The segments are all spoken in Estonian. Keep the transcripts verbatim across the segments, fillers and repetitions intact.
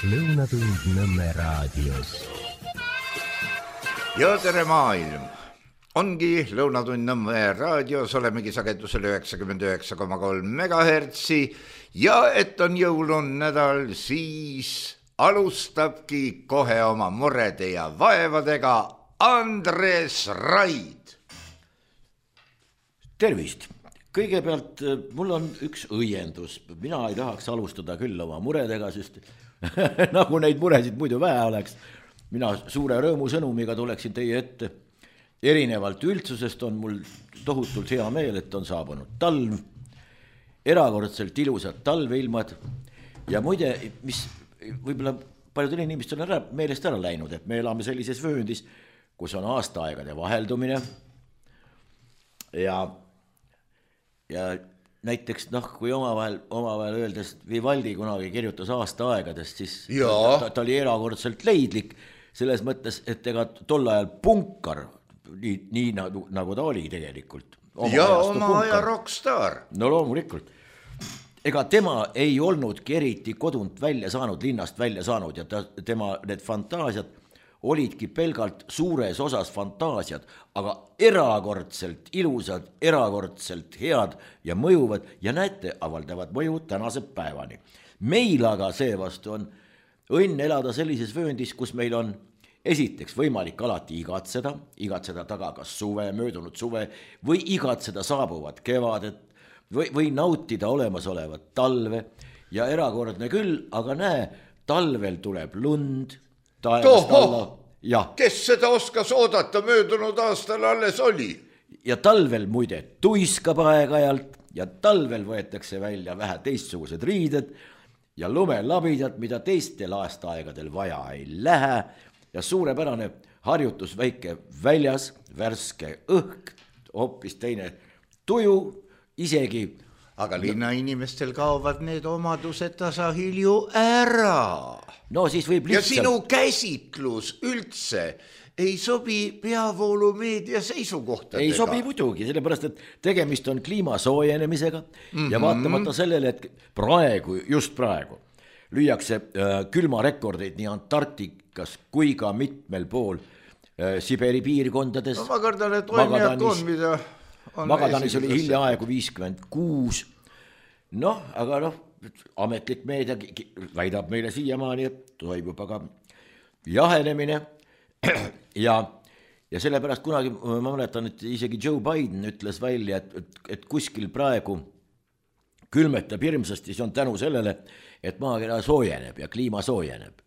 Lõunatund Nõmme raadios. Ja tere maailm! Ongi Lõunatund Nõmme raadios, olemegi sagedusel üheksakümmend üheksa koma kolm megahertsi ja et on jõulun nädal, siis alustabki kohe oma murede ja vaevadega Andres Raid. Tervist! Kõigepealt mul on üks õiendus. Mina ei tahaks alustada küll oma muredega, sest nagu neid muresid muidu vähe oleks. Mina suure rõõmu sõnumiga tuleksin teie ette. Erinevalt üldsusest on mul tohutult hea meel, et on saabunud talv, erakordselt ilusad talveilmad ja muide, mis võib-olla paljudel inimestel on ära, meelest ära läinud, et me elame sellises vööndis, kus on aastaaegade vaheldumine ja ja näiteks noh, kui omavahel, omavahel öeldes Vivaldi kunagi kirjutas aastaaegadest, siis ta, ta oli erakordselt leidlik selles mõttes, et ega tol ajal punkar, nii, nii nagu, nagu ta oli tegelikult. Ja oma aja rockstar. No loomulikult. Ega tema ei olnudki eriti kodunt välja saanud, linnast välja saanud ja ta, tema need fantaasiad olidki pelgalt suures osas fantaasiad, aga erakordselt ilusad, erakordselt head ja mõjuvad ja näete, avaldavad mõju tänase päevani. Meil aga seevastu on õnn elada sellises vööndis, kus meil on esiteks võimalik alati igatseda, igatseda taga kas suve, möödunud suve või igatseda saabuvat kevadet või, või nautida olemasolevat talve ja erakordne küll, aga näe, talvel tuleb lund, ja. Kes seda oskas oodata, möödunud aastal alles oli. Ja talvel muide tuiskab aeg-ajalt ja talvel võetakse välja vähe teistsugused riided ja lumelabidad, mida teistel aastaaegadel vaja ei lähe ja suurepärane harjutus väike väljas, värske õhk, hoopis teine tuju, isegi aga linna inimestel kaovad need omadused tasahilju ära. No siis võib lihtsalt... Ja sinu käsitlus üldse ei sobi peavoolumeedia seisukohtadega. Ei sobi muidugi, sellepärast, et tegemist on kliima soojenemisega mm-hmm. ja vaatamata sellele, et praegu, just praegu, lüüakse äh, külmarekordeid nii Antarktikas kui ka mitmel pool äh, Siberi piirkondades. No ma kardan, et toimijad on, mida... Magadanis oli hiljaaegu viiskümmend kuus. Noh, aga noh, ametlik meedia väidab meile siiamaani, et toimub aga jahenemine ja, ja sellepärast kunagi ma mäletan, et isegi Joe Biden ütles välja, et, et, et kuskil praegu külmetab hirmsasti, see on tänu sellele, et maakera soojeneb ja kliima soojeneb.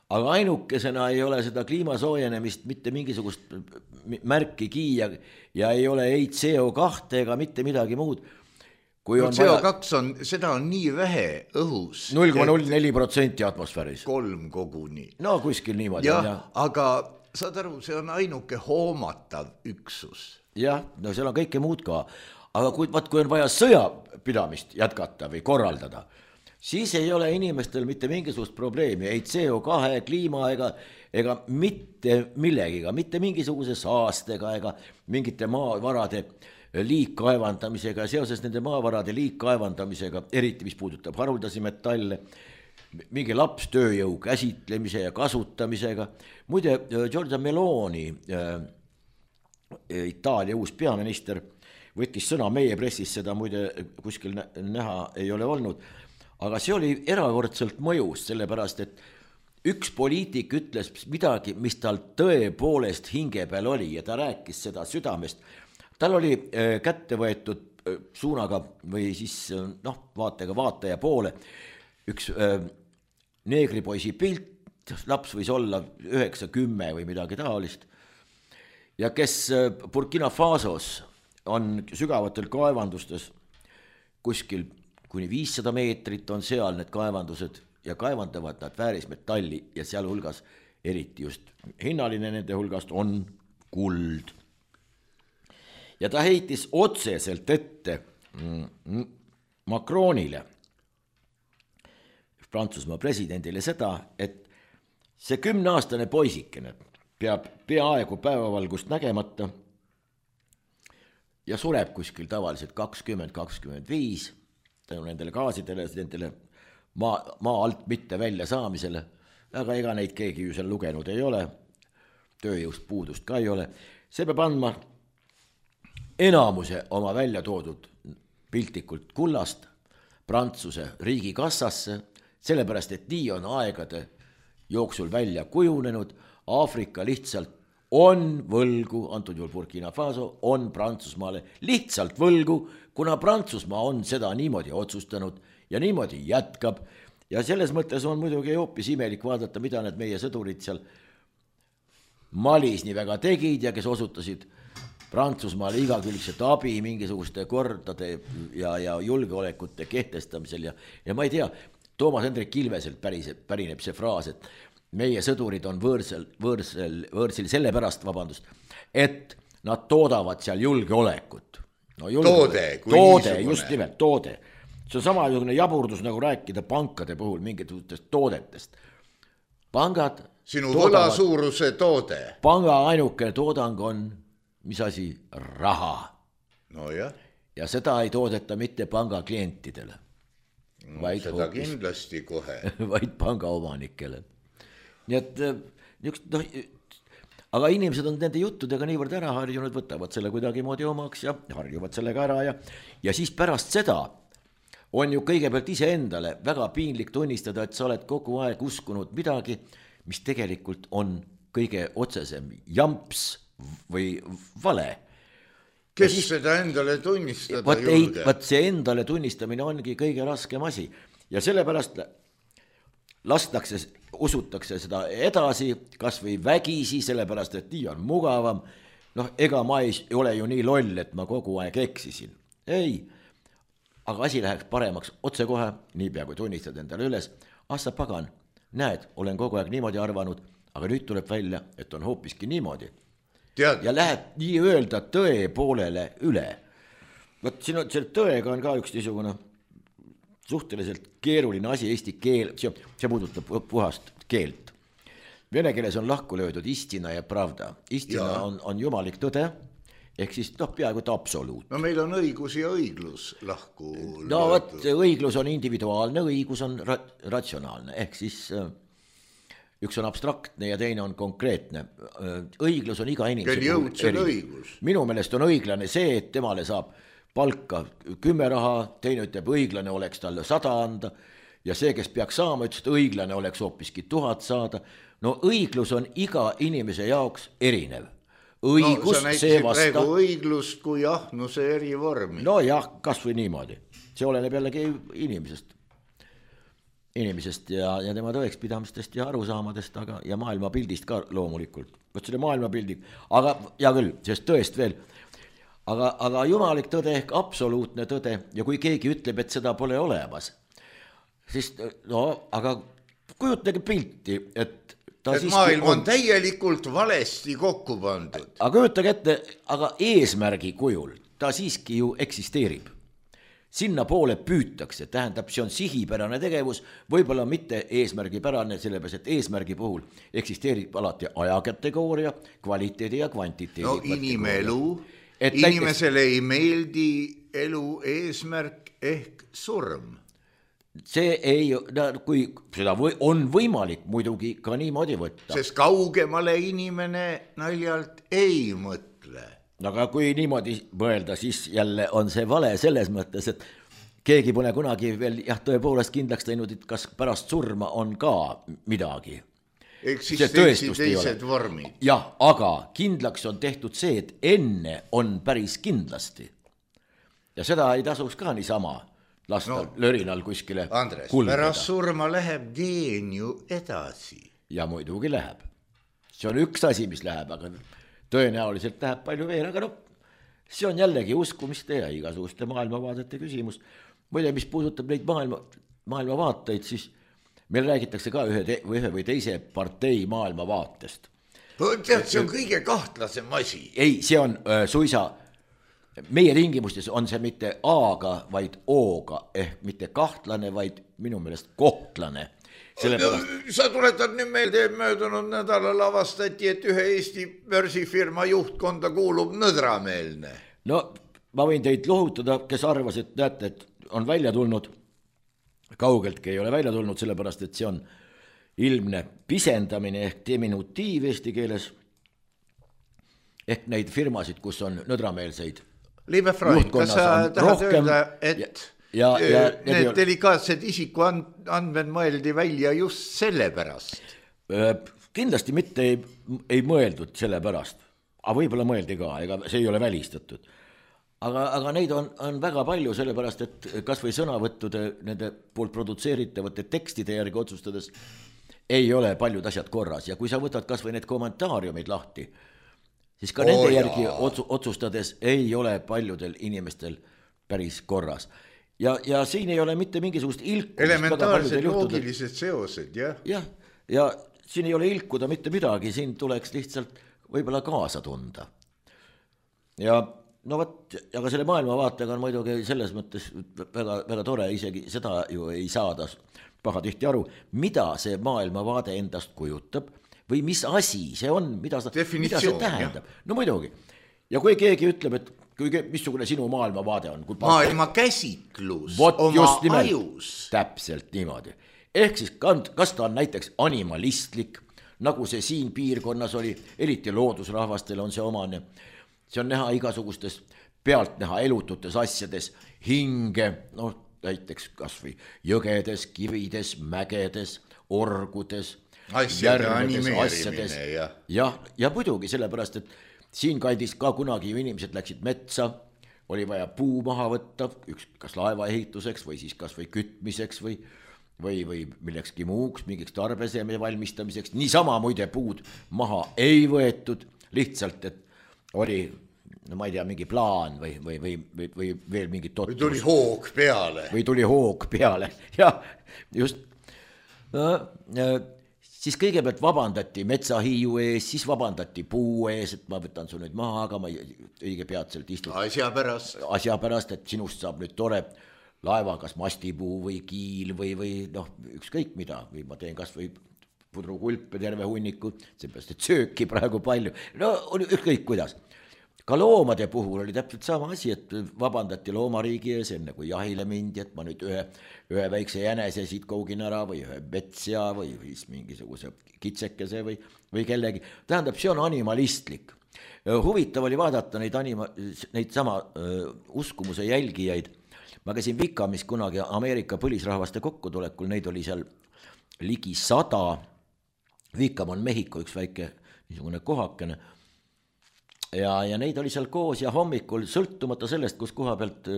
Aga ainukesena ei ole seda kliima soojenemist mitte mingisugust märkigi ja, ja ei ole ei C O kahte ega mitte midagi muud. Kui on C O kaks on, seda on nii vähe õhus. null koma null neli protsenti atmosfääris. Kolm koguni. No kuskil niimoodi. Ja, ja. Aga saad aru, see on ainuke hoomatav üksus. Jah, no seal on kõike muud ka. Aga kui, vaat, kui on vaja sõjapidamist jätkata või korraldada, siis ei ole inimestel mitte mingisugust probleemi, ei C O kahe, kliima ega, ega mitte millegiga, mitte mingisuguse saastega ega mingite maavarade liikkaevandamisega ja seoses nende maavarade liikkaevandamisega, eriti mis puudutab haruldasi metalle, mingi lapstööjõu käsitlemise ja kasutamisega. Muide, Giorgia Meloni, Itaalia uus peaminister, võttis sõna meie pressis, seda muide kuskil näha ei ole olnud, aga see oli erakordselt mõjus, sellepärast, et üks poliitik ütles midagi, mis tal tõepoolest hinge peal oli ja ta rääkis seda südamest. Tal oli kätte võetud suunaga või siis noh, vaatega vaataja poole üks neegripoisi pilt, laps võis olla üheksa kümme või midagi taolist ja kes Burkina Fasos on sügavatel kaevandustes kuskil kuni viissada meetrit on seal need kaevandused ja kaevandavad nad väärismetalli ja seal hulgas eriti just hinnaline nende hulgast on kuld. Ja ta heitis otseselt ette Macronile, Prantsusmaa presidendile seda, et see kümneaastane poisikene peab peaaegu päevavalgust nägemata ja sureb kuskil tavaliselt kakskümmend kakskümmend viis tänu nendele gaasidele, nendele maa, maa alt mitte välja saamisele, aga ega neid keegi ju seal lugenud ei ole, tööjõust puudust ka ei ole, see peab andma enamuse oma välja toodud piltlikult kullast Prantsuse riigikassasse, sellepärast, et nii on aegade jooksul välja kujunenud, Aafrika lihtsalt on võlgu, antud juhul Burkina Faso, on Prantsusmaale lihtsalt võlgu, kuna Prantsusmaa on seda niimoodi otsustanud ja niimoodi jätkab. Ja selles mõttes on muidugi hoopis imelik vaadata, mida need meie sõdurid seal Malis nii väga tegid ja kes osutasid Prantsusmaale igakülgset abi mingisuguste kordade ja, ja julgeolekute kehtestamisel ja, ja ma ei tea, Toomas Hendrik Ilveselt päriseb, pärineb see fraas, et meie sõdurid on võõrsel, võõrsel, võõrsil selle pärast, vabandust, et nad toodavad seal julgeolekut. No, julgeolek. Toode, toode just nimelt, toode. See on samasugune jaburdus nagu rääkida pankade puhul mingitest toodetest. Pangad sinu võlasuuruse toode. Panga ainuke toodang on, mis asi, raha. No jah. Ja seda ei toodeta mitte panga klientidele. No, seda hoopis, kindlasti kohe. Vaid panga omanikele. Nii et niisugust, noh, aga inimesed on nende juttudega niivõrd ära harjunud, võtavad selle kuidagi moodi omaks ja harjuvad sellega ära ja, ja siis pärast seda on ju kõigepealt ise endale väga piinlik tunnistada, et sa oled kogu aeg uskunud midagi, mis tegelikult on kõige otsesem jamps või vale. Kes siis, seda endale tunnistada võt, julge? Võt see endale tunnistamine ongi kõige raskem asi ja sellepärast lastakse, usutakse seda edasi, kas või vägisi, sellepärast, et nii on mugavam. Noh, ega ma ei ole ju nii loll, et ma kogu aeg eksisin. Ei, aga asi läheks paremaks otsekohe, niipea kui tunnistad endale üles. Assa pagan, näed, olen kogu aeg niimoodi arvanud, aga nüüd tuleb välja, et on hoopiski niimoodi. Tead. Ja läheb nii öelda tõe poolele üle. Võt, siin on, selle tõega on ka üks niisugune suhteliselt keeruline asi eesti keel, see, see puudutab puhast keelt. Vene keeles on lahku löödud istina ja pravda. Istina ja. on, on jumalik tõde, ehk siis noh, peaaegu et absoluut. No meil on õigus ja õiglus lahku löödud. No võt, õiglus on individuaalne, õigus on ra- ratsionaalne, ehk siis üks on abstraktne ja teine on konkreetne. Õiglus on iga inimese puhul õigus. Minu meelest on õiglane see, et temale saab palka kümme raha, teine ütleb, õiglane oleks talle sada anda ja see, kes peaks saama, ütles, et õiglane oleks hoopiski tuhat saada. No õiglus on iga inimese jaoks erinev. Õigus, no, see vasta... praegu õiglust kui ahnuse eri vormi. No jah, kas või niimoodi. See oleneb jällegi inimesest. inimesest ja, ja tema tõekspidamistest ja arusaamadest, aga, ja maailmapildist ka loomulikult. Võt selle maailmapildi, aga ja küll, sest tõest veel, aga, aga jumalik tõde ehk absoluutne tõde ja kui keegi ütleb, et seda pole olemas, siis no, aga kujutage pilti, et ta et maailm on, on täielikult valesti kokku pandud. Aga kujutage ette, aga eesmärgi kujul ta siiski ju eksisteerib. Sinna poole püütakse, tähendab, see on sihipärane tegevus, võib-olla mitte eesmärgipärane, sellepärast, et eesmärgi puhul eksisteerib alati ajakategooria, kvaliteedi ja kvantiteedi. No inimelu, inimesele näiteks, ei meeldi elu eesmärk ehk surm. See ei, kui seda või, on võimalik muidugi ka niimoodi võtta. Sest kaugemale inimene naljalt ei mõtle. Aga kui niimoodi mõelda, siis jälle on see vale selles mõttes, et keegi pole kunagi veel jah, tõepoolest kindlaks teinud, et kas pärast surma on ka midagi. Eksistentsi teised vormid. Jah, aga kindlaks on tehtud see, et enne on päris kindlasti. Ja seda ei tasuks ka niisama lasta no, lörinal kuskile Andres, kulgeda. Pärast surma läheb geen ju edasi. Ja muidugi läheb. See on üks asi, mis läheb, aga tõenäoliselt läheb palju veel, aga no, see on jällegi uskumiste ja igasuguste maailmavaadete küsimus. Muide, mis puudutab neid maailma, maailmavaateid, siis meil räägitakse ka ühe, te, ühe või teise partei maailmavaatest. Tead, see on kõige kahtlasem asi. Ei, see on äh, suisa, meie tingimustes on see mitte A-ga, vaid O-ga, ehk mitte kahtlane, vaid minu meelest kohtlane. Sellepärast... Sa tuletad nüüd meelde, möödunud nädalal avastati, et ühe Eesti börsifirma juhtkonda kuulub nõdrameelne. No ma võin teid lohutada, kes arvas, et näete, et on välja tulnud kaugeltki ei ole välja tulnud, sellepärast et see on ilmne pisendamine ehk diminutiiv eesti keeles, ehk neid firmasid, kus on nõdrameelseid Liebe Freund, kas sa tahad öelda, et ja, ja, ja, need delikaatsed isiku andmed mõeldi välja just selle pärast? Kindlasti mitte ei, ei mõeldud selle pärast, aga võib-olla mõeldi ka, ega see ei ole välistatud. Aga, aga neid on, on väga palju, sellepärast et kas või sõnavõttude nende poolt produtseeritavate tekstide järgi otsustades ei ole paljud asjad korras. Ja kui sa võtad kas või need kommentaariumid lahti, siis ka oh, nende järgi otsu, otsustades ei ole paljudel inimestel päris korras. Ja, ja siin ei ole mitte mingisugust ilku. Elementaarsed loogilised seosed, jah. Jah, ja siin ei ole ilkuda mitte midagi, siin tuleks lihtsalt võib-olla kaasa tunda. Ja no võt, aga selle maailmavaatega on muidugi selles mõttes väga, väga tore, isegi seda ju ei saada paha tihti aru, mida see maailmavaade endast kujutab või mis asi see on, mida, sa, mida see tähendab. Jah. No muidugi. Ja kui keegi ütleb, et kui, missugune sinu maailmavaade on. Maailma käsitlus Vot oma nimelt, ajus. Täpselt niimoodi. Ehk siis kas ta on näiteks animalistlik, nagu see siin piirkonnas oli, eriti loodusrahvastel on see omane. See on näha igasugustes pealt näha elututes asjades hinge, noh näiteks kas või jõgedes, kivides, mägedes, orgudes, asjade animeerimine. Ja, ja, ja muidugi sellepärast, et siin kandis ka kunagi ju inimesed läksid metsa, oli vaja puu maha võtta, üks kas laeva ehituseks või siis kas või kütmiseks või, või, või millekski muuks, mingiks tarbeseme valmistamiseks. Niisama muide puud maha ei võetud, lihtsalt, et oli, no ma ei tea, mingi plaan või, või, või, või, või veel mingi totrus. Või tuli hoog peale. Või tuli hoog peale, jah, just. No, siis kõigepealt vabandati metsahiiu ees, siis vabandati puu ees, et ma võtan su nüüd maha, aga ma õige peatselt istun. Asja pärast. Asja pärast, et sinust saab nüüd tore laeva, kas mastipuu või kiil või, või noh, ükskõik mida, või ma teen kas või pudrukulpe terve hunniku, seepärast, et sööki praegu palju. No ükskõik kuidas. Ka loomade puhul oli täpselt sama asi, et vabandati loomariigi ees enne, kui jahile mindi, et ma nüüd ühe, ühe väikse jänese siit kougin ära või ühe metsja või siis mingisuguse kitsekese või, või kellegi. Tähendab, see on animalistlik. Huvitav oli vaadata neid, anima, neid sama uh, uskumuse jälgijaid. Ma käisin Vikamis kunagi Ameerika põlisrahvaste kokkutulekul, neid oli seal ligi sada. Vikam on Mehhiko üks väike niisugune kohakene. Ja, ja neid oli seal koos ja hommikul sõltumata sellest, kus koha pealt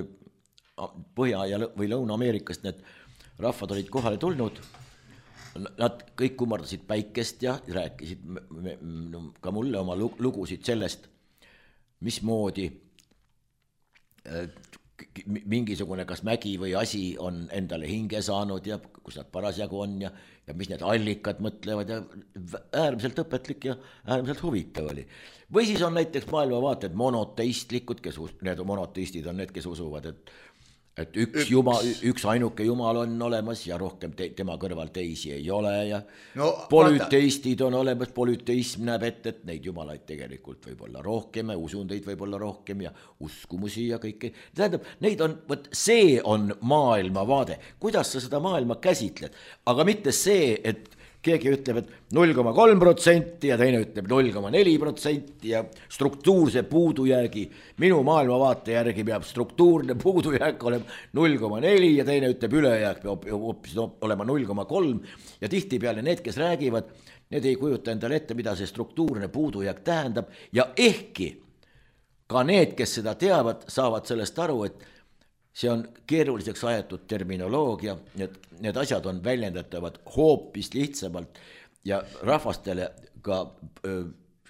Põhja- ja või Lõuna-Ameerikast need rahvad olid kohale tulnud. Nad kõik kummardasid päikest ja rääkisid ka mulle oma lugusid sellest, mismoodi mingisugune kas mägi või asi on endale hinge saanud ja kus nad parasjagu on ja, ja mis need allikad mõtlevad ja äärmiselt õpetlik ja äärmiselt huvitav oli. Või siis on näiteks maailmavaated monoteistlikud, kes need monoteistid on need, kes usuvad, et, et üks, üks. Jumal, üks ainuke jumal on olemas ja rohkem te, tema kõrval teisi ei ole ja no, polüteistid on olemas, polüteism näeb ette, et neid jumalaid tegelikult võib olla rohkem ja usundeid võib olla rohkem ja uskumusi ja kõike. Tähendab, neid on, võt, see on maailmavaade, kuidas sa seda maailma käsitled, aga mitte see, et keegi ütleb, et null koma kolm protsenti ja teine ütleb null koma neli protsenti ja struktuurse puudujäägi. Minu maailmavaate järgi peab struktuurne puudujääk olema null koma neli ja teine ütleb ülejääk peab hoopis olema null koma kolm ja tihtipeale need, kes räägivad, need ei kujuta endale ette, mida see struktuurne puudujääk tähendab ja ehkki ka need, kes seda teavad, saavad sellest aru, et see on keeruliseks ajatud terminoloogia, need, need asjad on väljendatavad hoopis lihtsamalt ja rahvastele ka,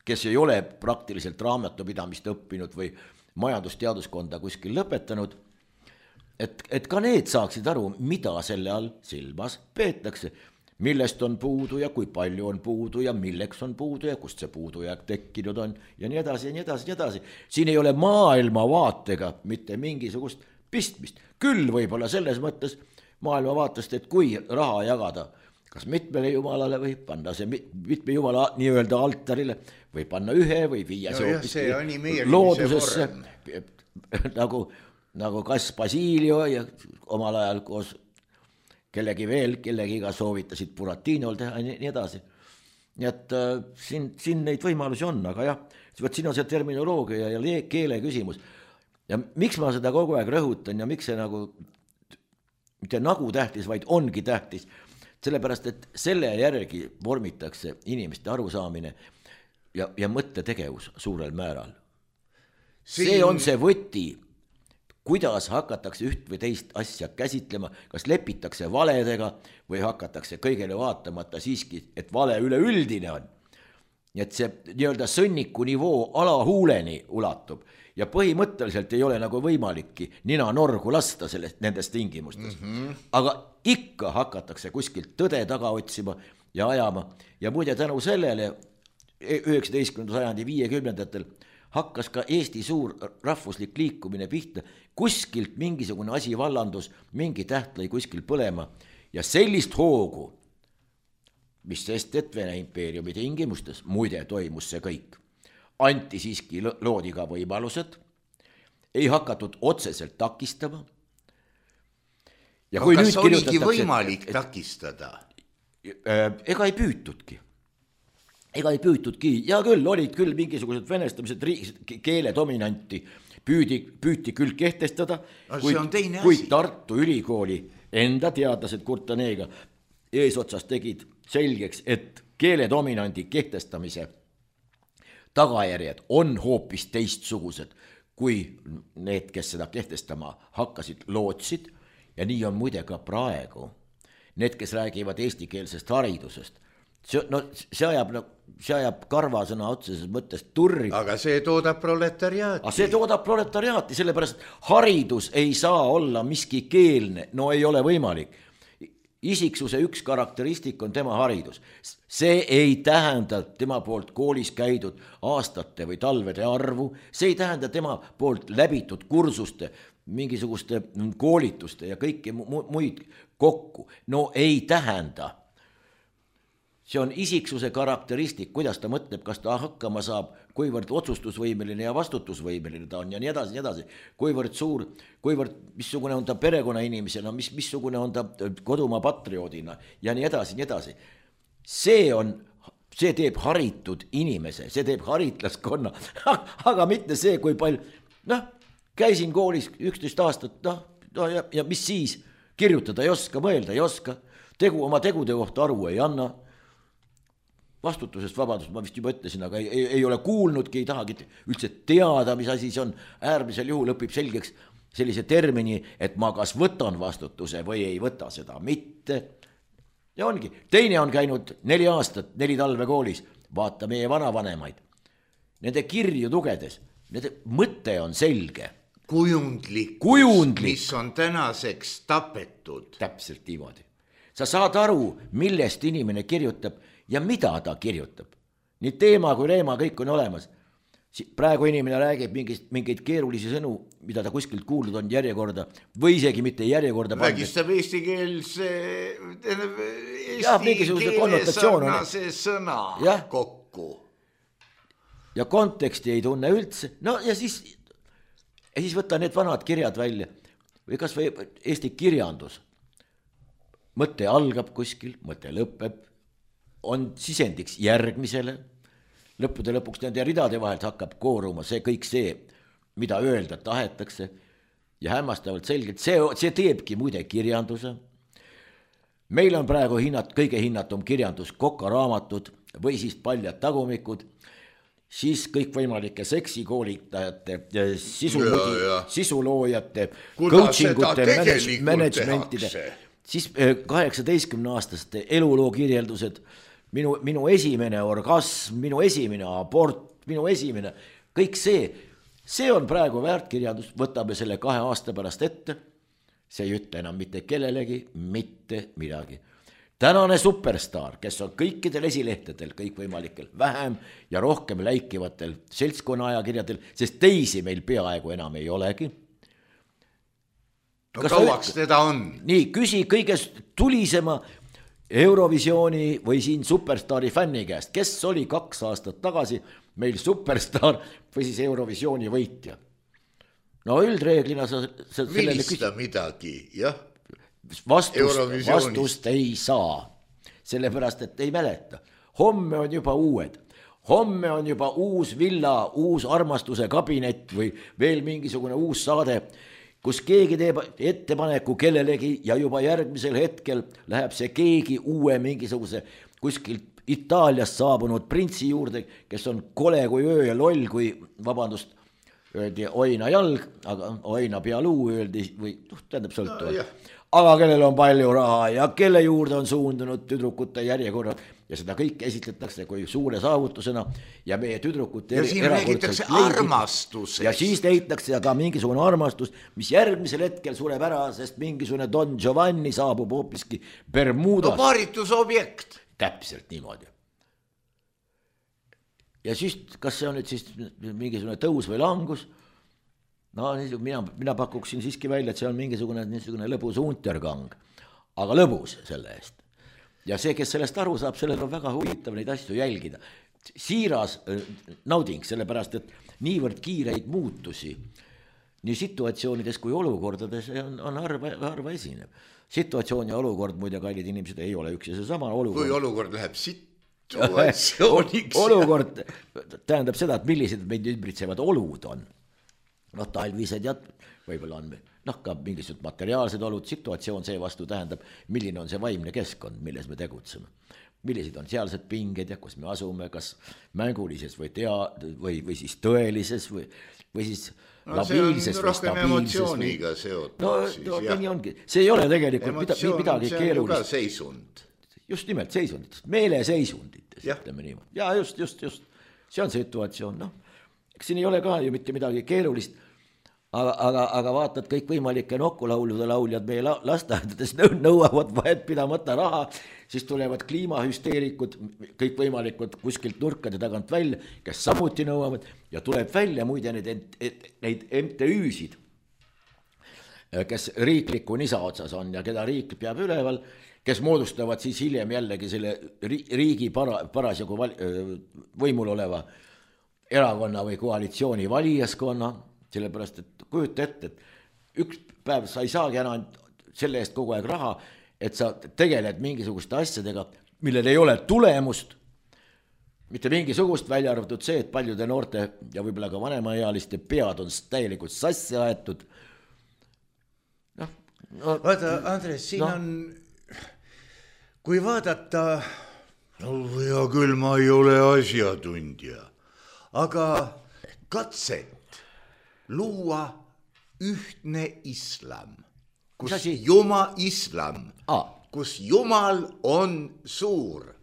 kes ei ole praktiliselt raamatupidamist õppinud või majandusteaduskonda kuskil lõpetanud, et, et ka need saaksid aru, mida selle all silmas peetakse, millest on puudu ja kui palju on puudu ja milleks on puudu ja kust see puudujääk tekkinud on ja nii edasi ja nii edasi ja nii edasi. Siin ei ole maailmavaatega mitte mingisugust pistmist. Küll võib-olla selles mõttes maailmavaatest, et kui raha jagada kas mitmele jumalale või panna see mitme jumala nii-öelda altarile või panna ühe või viia no see hoopis loodusesse nagu, nagu kas Basilio ja omal ajal koos kellegi veel, kellegiga soovitasid Buratinol teha ja nii edasi. Nii et äh, siin, siin neid võimalusi on, aga jah, võt siin on see terminoloogia ja keele küsimus. Ja miks ma seda kogu aeg rõhutan ja miks see nagu, mitte nagu tähtis, vaid ongi tähtis, sellepärast, et selle järgi vormitakse inimeste arusaamine ja, ja mõttetegevus suurel määral. Siin... See on see võti, kuidas hakatakse üht või teist asja käsitlema, kas lepitakse valedega või hakatakse kõigele vaatamata siiski, et vale üleüldine on. Nii et see nii-öelda sõnniku nivoo alahuuleni ulatub ja põhimõtteliselt ei ole nagu võimalikki nina norgu lasta sellest, nendes tingimustes. Mm-hmm. Aga ikka hakatakse kuskilt tõde taga otsima ja ajama ja muide tänu sellele üheksateistkümnenda sajandi viiekümnendatel hakkas ka Eesti suur rahvuslik liikumine pihta, kuskilt mingisugune asi vallandus, mingi täht lõi kuskil põlema ja sellist hoogu, mis sest, et Vene impeeriumi tingimustes, muide toimus see kõik, anti siiski loodi ka võimalused, ei hakatud otseselt takistama. Ja no, kas oligi võimalik et, takistada? Et, ega ei püütudki. Ega ei püütudki, ja küll olid küll mingisugused venestamised, keele dominanti püüdi, püüti küll kehtestada, kuid, kuid Tartu Ülikooli enda teadlased Kurtaneega eesotsas tegid selgeks, et keele dominandi kehtestamise tagajärjed on hoopis teistsugused, kui need, kes seda kehtestama hakkasid, lootsid, ja nii on muide ka praegu. Need, kes räägivad eestikeelsest haridusest, see, no, see ajab, no, see ajab karvasõna otseses mõttes turri. Aga see toodab proletariaati. Aga see toodab proletariaati, sellepärast haridus ei saa olla miski keelne, no ei ole võimalik. Isiksuse üks karakteristik on tema haridus. See ei tähenda tema poolt koolis käidud aastate või talvede arvu, see ei tähenda tema poolt läbitud kursuste, mingisuguste koolituste ja kõiki muid kokku. No ei tähenda. See on isiksuse karakteristik, kuidas ta mõtleb, kas ta hakkama saab, kuivõrd otsustusvõimeline ja vastutusvõimeline ta on ja nii edasi, nii edasi. Kuivõrd suur, kuivõrd missugune on ta perekonna inimesena, mis, missugune on ta kodumaa patrioodina ja nii edasi, nii edasi. See on, see teeb haritud inimese, see teeb haritlaskonna, aga mitte see, kui palju, noh, käisin koolis üksteist aastat, noh, no, ja, ja mis siis, kirjutada ei oska, mõelda ei oska, tegu, oma tegude kohta aru ei anna, vastutusest vabadust ma vist juba ütlesin, aga ei, ei ole kuulnudki, ei tahagi üldse teada, mis asi see on, äärmisel juhul õpib selgeks sellise termini, et ma kas võtan vastutuse või ei võta seda mitte. Ja ongi, teine on käinud neli aastat, neli talve koolis, vaata meie vanavanemaid. Nende kirju lugedes, nende mõte on selge. Kujundlik, Kujundlik, mis on tänaseks tapetud. Täpselt niimoodi. Sa saad aru, millest inimene kirjutab ja mida ta kirjutab. Nii teema kui reema kõik on olemas. Praegu inimene räägib mingist, mingeid keerulisi sõnu, mida ta kuskilt kuulnud on järjekorda või isegi mitte järjekorda. Vägistab eesti keelse, eesti keele sarnase sõna ja. Kokku. Ja konteksti ei tunne üldse. No ja siis, ja siis võtta need vanad kirjad välja. Või kas või eesti kirjandus. Mõte algab kuskil, mõte lõpeb. On sisendiks järgmisele, lõppude lõpuks nende ridade vahelt hakkab kooruma see kõik see, mida öelda tahetakse ja hämmastavalt selgelt, see, see teebki muide kirjanduse. Meil on praegu hinnat, kõige hinnatum kirjandus kokaraamatud või siis paljad tagumikud, siis kõikvõimalike seksikoolitajate, sisu, sisuloojate, coachingute, managementide, siis kaheksateistkümne aastaste eluloo kirjeldused, Minu, minu esimene orgasm, minu esimene abort, minu esimene, kõik see, see on praegu väärtkirjandus, võtame selle kahe aasta pärast ette, see ei ütle enam mitte kellelegi, mitte midagi. Tänane superstar, kes on kõikidel esilehtedel, kõikvõimalikel, vähem ja rohkem läikivatel seltskonna ajakirjadel, sest teisi meil peaaegu enam ei olegi. No kauaks teda on? Nii, küsi kõige tulisema Eurovisiooni või siin superstaari fänni käest, kes oli kaks aastat tagasi meil superstar või siis Eurovisiooni võitja. No üldreeglina sa, sa millista midagi, jah. vastust, vastust ei saa, sellepärast et ei mäleta. Homme on juba uued, homme on juba uus villa, uus armastuse kabinet või veel mingisugune uus saade, kus keegi teeb ettepaneku kellelegi ja juba järgmisel hetkel läheb see keegi uue mingisuguse kuskilt Itaaliast saabunud printsi juurde, kes on kole kui öö ja loll, kui vabandust, öeldi oina jalg, aga oina pealuu öeldi või noh, tähendab sõltuvalt no,. Aga kellel on palju raha ja kelle juurde on suundunud tüdrukute järjekorrad ja seda kõike esitletakse kui suure saavutusena ja meie tüdrukute ja siin räägitakse armastusest. Ja siis leitakse ka mingisugune armastus, mis järgmisel hetkel sureb ära, sest mingisugune Don Giovanni saabub hoopiski Bermudas. No paaritusobjekt. Täpselt niimoodi. Ja siis, kas see on nüüd siis mingisugune tõus või langus? No mina, mina pakuksin siiski välja, et see on mingisugune, mingisugune lõbus untergang, aga lõbus selle eest. Ja see, kes sellest aru saab, sellel on väga huvitav neid asju jälgida. Siiras nauding, sellepärast, et niivõrd kiireid muutusi nii situatsioonides kui olukordades on, on harva, harva esinev. Situatsioon ja olukord, muide, kallid inimesed, ei ole üks ja see sama olukord. Kui olukord läheb situatsiooniks. Olukord tähendab seda, et millised meid ümbritsevad olud on. Noh, talvised ja võib-olla on noh, ka mingisugused materiaalsed olud, situatsioon see vastu tähendab, milline on see vaimne keskkond, milles me tegutseme. Millised on sealsed pinged ja kus me asume, kas mängulises või, tea, või, või siis tõelises või, või siis no, labiilses või stabiilses. Emotsiooniga seotud. No, siis, no nii ongi. See ei ole tegelikult Emotsioon, midagi keerulist. See on ju ka seisund. Just nimelt seisunditest, meeleseisunditest, ütleme nii. Ja just, just, just. See on situatsioon, noh. Siin ei ole ka ju mitte midagi keerulist, aga, aga, aga vaatad kõik võimalike nokkulaulude lauljad meie lasteaedades nõuavad vahet pidamata raha, siis tulevad kliimahüsteerikud, kõik võimalikud kuskilt nurkade tagant välja, kes samuti nõuavad ja tuleb välja muide neid, neid M T Üsid, kes riikliku nisa otsas on ja keda riik peab üleval, kes moodustavad siis hiljem jällegi selle riigi para, parasjagu võimul oleva erakonna või koalitsiooni valijaskonna, sellepärast, et kujuta ette, et üks päev sa ei saagi enam selle eest kogu aeg raha, et sa tegeled mingisuguste asjadega, millel ei ole tulemust, mitte mingisugust välja arvatud see, et paljude noorte ja võib-olla ka vanemaealiste pead on täielikult sassi aetud. No, no, vaata, Andres, siin no. on, kui vaadata, no hea küll, ma ei ole asjatundja, aga katset luua ühtne islam, kus Jumal islam, ah. kus Jumal on suur.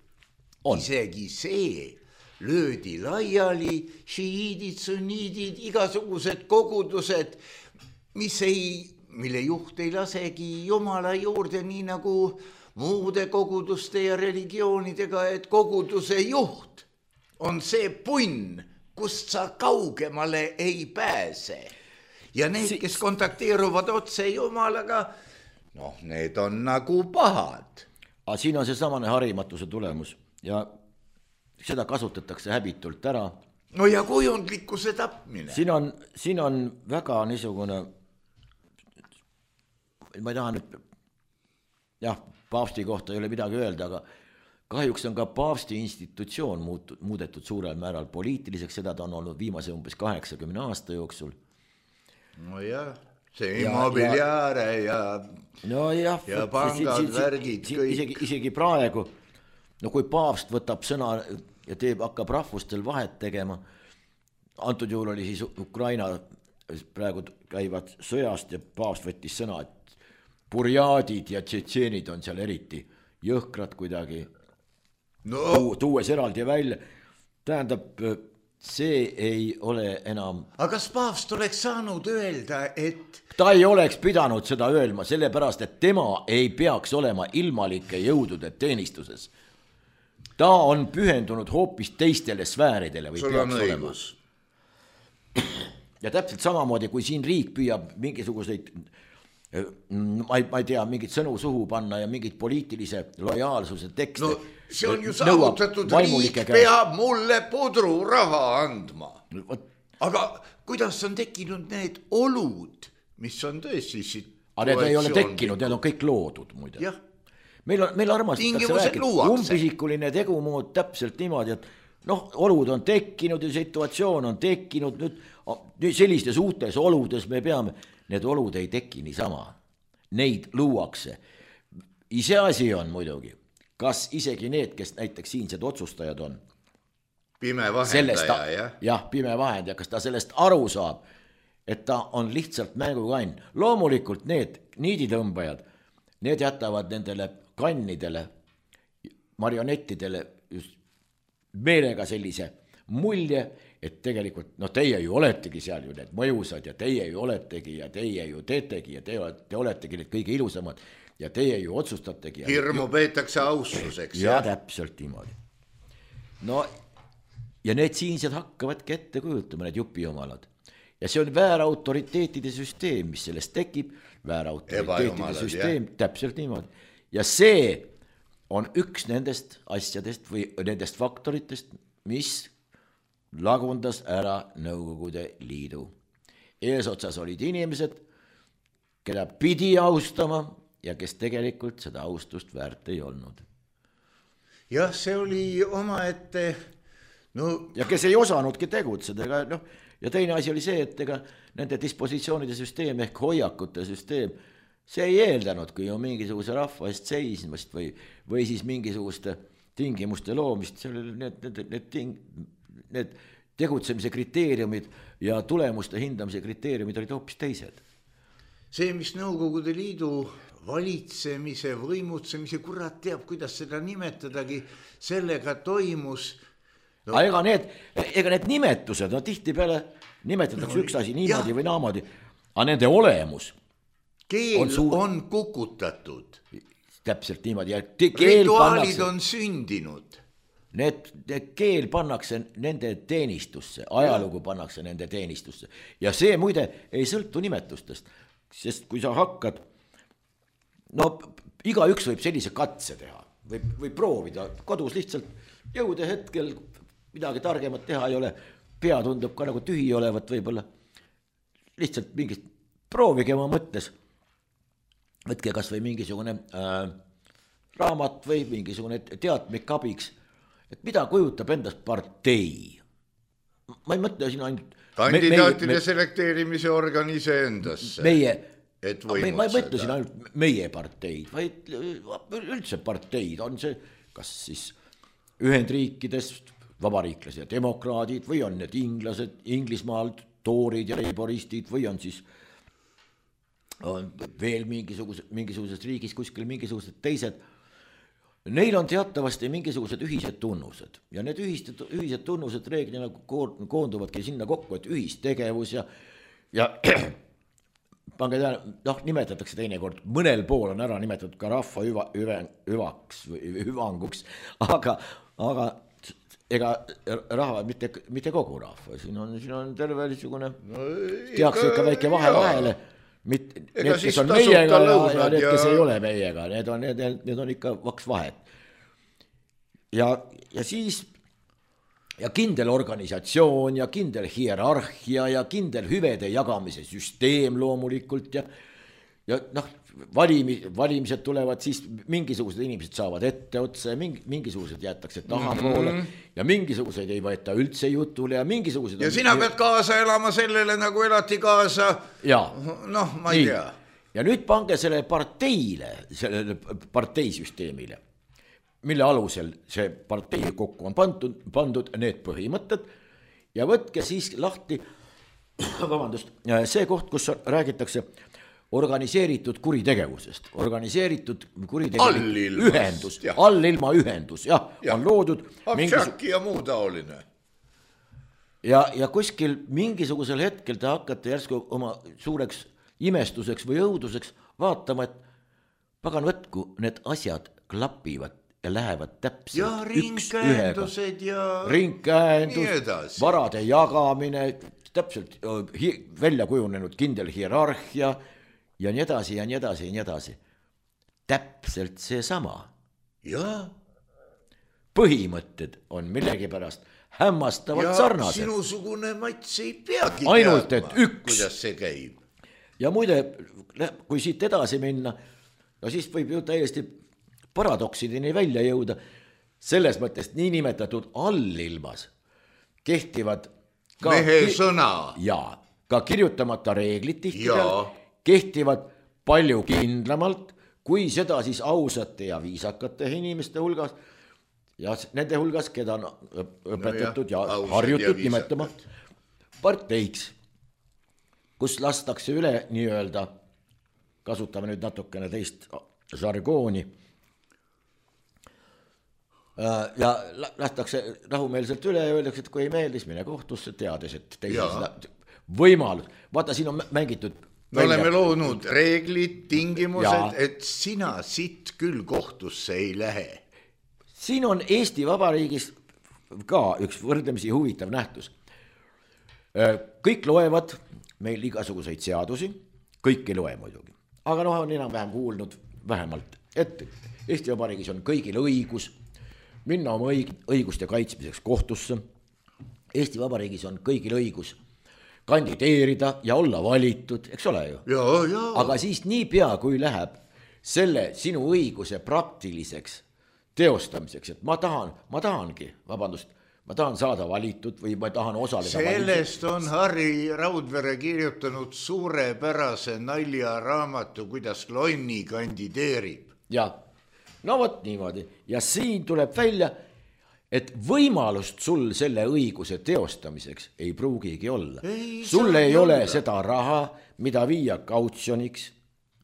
On. Isegi see löödi laiali, šiiidid, sunniidid, igasugused kogudused, mis ei, mille juht ei lasegi Jumala juurde nii nagu muude koguduste ja religioonidega, et koguduse juht on see punn, kust sa kaugemale ei pääse. Ja need, kes kontakteeruvad otse Jumalaga, noh, need on nagu pahad. Aga siin on see samane harimatuse tulemus ja seda kasutatakse häbitult ära. No ja kujundlikkuse tapmine. Siin on, siin on väga niisugune, ma ei taha nüüd, jah, paavsti kohta ei ole midagi öelda, aga kahjuks on ka paavsti institutsioon muutud, muudetud suurel määral poliitiliseks, seda ta on olnud viimase umbes kaheksakümne aasta jooksul. No jah, see immobiliaare ja, ja, no jah, ja pangad, värgid, kõik. Isegi, isegi praegu, no kui paavst võtab sõna ja teeb, hakkab rahvustel vahet tegema, antud juhul oli siis Ukraina praegu käivad sõjast ja paavst võttis sõna, et burjaadid ja tšetšeenid on seal eriti jõhkrad kuidagi. No. Tuues eraldi välja, tähendab, see ei ole enam. Aga kas paavst oleks saanud öelda, et ta ei oleks pidanud seda öelma, sellepärast, et tema ei peaks olema ilmalike jõudude teenistuses. Ta on pühendunud hoopis teistele sfääridele või sul peaks olema. Ja täpselt samamoodi, kui siin riik püüab mingisuguseid ma ei, ma ei tea, mingit sõnu suhu panna ja mingit poliitilise lojaalsuse tekste. No see on ju saavutatud, riik peab mulle pudru raha andma. Aga kuidas on tekkinud need olud, mis on tõesti aga need ei ole tekkinud, need on kõik loodud muide. jah. meil on, meil armastatakse rääkida, umbisikuline tegumood täpselt niimoodi, et noh, olud on tekkinud ja situatsioon on tekkinud, nüüd, nüüd sellistes uutes oludes me peame, need olud ei teki niisama, neid luuakse. Iseasi on muidugi, kas isegi need, kes näiteks siinsed otsustajad on, pime vahendaja, jah? jah, pime vahendaja, kas ta sellest aru saab, et ta on lihtsalt mängukann. Loomulikult need niiditõmbajad, need jätavad nendele kannidele, marionettidele just meelega sellise mulje, et tegelikult, no teie ju oletegi seal ju need mõjusad ja teie ju oletegi ja teie ju teetegi ja te, te oletegi need kõige ilusamad ja teie ju otsustategi. Hirmu ja, peetakse austuseks. Ja, ja täpselt niimoodi. No ja need siinsed hakkavadki ette kujutama, need jupiomalad. Ja see on väärautoriteetide süsteem, mis sellest tekib, väärautoriteetide süsteem, jah. Täpselt niimoodi. Ja see on üks nendest asjadest või nendest faktoritest, mis lagundas ära Nõukogude Liidu. Eesotsas olid inimesed, keda pidi austama ja kes tegelikult seda austust väärt ei olnud. Jah, see oli oma ette... No... ja kes ei osanudki tegutseda, ega, noh, ja teine asi oli see, et ega nende dispositsioonide süsteem ehk hoiakute süsteem, see ei eeldanud, kui on mingisuguse rahva eest seismast või, või siis mingisuguste tingimuste loomist, need, need, need, ting, need tegutsemise kriteeriumid ja tulemuste hindamise kriteeriumid olid hoopis teised. See, mis Nõukogude Liidu valitsemise, võimutsemise, kurat teab, kuidas seda nimetadagi, sellega toimus... No. Ega, need, ega need nimetused, no tihti peale nimetatakse no, üks asi niimoodi jah. Või naamodi, aga nende olemus keel on, suur... on kukutatud. Täpselt niimoodi. Ja rituaalid pannakse, on sündinud. Need, need keel pannakse nende teenistusse, ajalugu pannakse nende teenistusse. Ja see muide ei sõltu nimetustest, sest kui sa hakkad, no igaüks võib sellise katse teha, võib, võib proovida kodus lihtsalt jõude hetkel, midagi targemat teha ei ole, pea tundub ka nagu tühi olevat võib-olla, lihtsalt mingist, proovige oma mõttes, võtke kas või mingisugune äh, raamat või mingisugune teatmik abiks, et mida kujutab endast partei. Ma ei mõtle siin ainult... Kandidaatide me, me, selekteerimise organise endasse. Meie, me, ma ei mõtle siin ainult meie parteid, vaid üldse parteid on see, kas siis Ühendriikidest vabariiklased ja demokraadid või on need inglased, Inglismaalt, toorid ja leiboristid või on siis on veel mingisugused, mingisugused riigis kuskil mingisugused teised. Neil on teatavasti mingisugused ühised tunnused ja need ühised, ühised tunnused reeglina koonduvadki sinna kokku, et ühistegevus ja, ja pange tähele, noh, nimetatakse teinekord, mõnel pool on ära nimetatud ka rahva hüva, hüva, hüvaks või hüvanguks, aga, aga ega rahva, mitte, mitte kogu rahva, siin on, siin on terve niisugune no, tehakse ikka väike vahe vahele, need, kes on meiega ja, ja need, kes ja... ei ole meiega, need on, need, need on ikka vaks vahet. Ja, ja siis ja kindel organisatsioon ja kindel hierarhia ja kindel hüvede jagamise süsteem loomulikult ja, ja noh, valimi, valimised tulevad, siis mingisugused inimesed saavad ette otsa ja mingi, mingisugused jäetakse tahapoole mm -hmm. ja mingisuguseid ei võeta üldse jutule ja mingisugused... Ja on... sina pead kaasa elama sellele, nagu elati kaasa, noh, ma ei nii. tea. Ja nüüd pange selle parteile, sellele parteisüsteemile, mille alusel see partei kokku on pandud, pandud need põhimõtted ja võtke siis lahti, vabandust, see koht, kus räägitakse organiseeritud kuritegevusest, organiseeritud kuritegevus, ühendus, allilma ühendus, jah, ja. On loodud Abšaki ja muu taoline. Ja, ja kuskil mingisugusel hetkel te hakkate järsku oma suureks imestuseks või õuduseks vaatama, et pagan võtku, need asjad klapivad ja lähevad täpselt ja ringkäendused ja ringkäendus, varade jagamine, täpselt välja kujunenud kindel hierarhia ja nii edasi ja nii edasi ja nii edasi. Täpselt see sama. Ja. Põhimõtted on millegipärast hämmastavalt sarnased. Ja sinusugune Mats ei peagi ainult, teadma, et üks, kuidas see käib. ja muide, kui siit edasi minna, no siis võib ju täiesti paradoksideni välja jõuda, selles mõttes niinimetatud allilmas kehtivad ka mehe sõna ja ka kirjutamata reeglid tihtipeale kehtivad palju kindlamalt, kui seda siis ausate ja viisakate inimeste hulgas ja nende hulgas, keda on õpetatud no ja, ja harjutud ja nimetama parteiks, kus lastakse üle nii-öelda, kasutame nüüd natukene teist žargooni, ja lastakse rahumeelselt üle ja öeldakse, et kui ei meeldis, mine kohtusse, teades, et teise seda võimalus. Vaata, siin on mängitud me välja. Oleme loonud reeglid, tingimused, et sina siit küll kohtusse ei lähe. Siin on Eesti Vabariigis ka üks võrdlemisi huvitav nähtus. Kõik loevad meil igasuguseid seadusi, kõik ei loe muidugi. Aga noh, on enam-vähem kuulnud vähemalt, et Eesti Vabariigis on kõigil õigus minna oma õiguste kaitsmiseks kohtusse. Eesti Vabariigis on kõigil õigus kandideerida ja olla valitud, eks ole ju? Ja, ja. Aga siis nii pea, kui läheb selle sinu õiguse praktiliseks teostamiseks, et ma tahan, ma tahangi, vabandust, ma tahan saada valitud või ma tahan osaleda sellest valitud. On Harri Raudvere kirjutanud suurepärase naljaraamatu, kuidas Lonni kandideerib. Ja, no vot niimoodi. Ja siin tuleb välja, et võimalust sul selle õiguse teostamiseks ei pruugigi olla. Ei, sul ei ole olla. Seda raha, mida viia kautsjoniks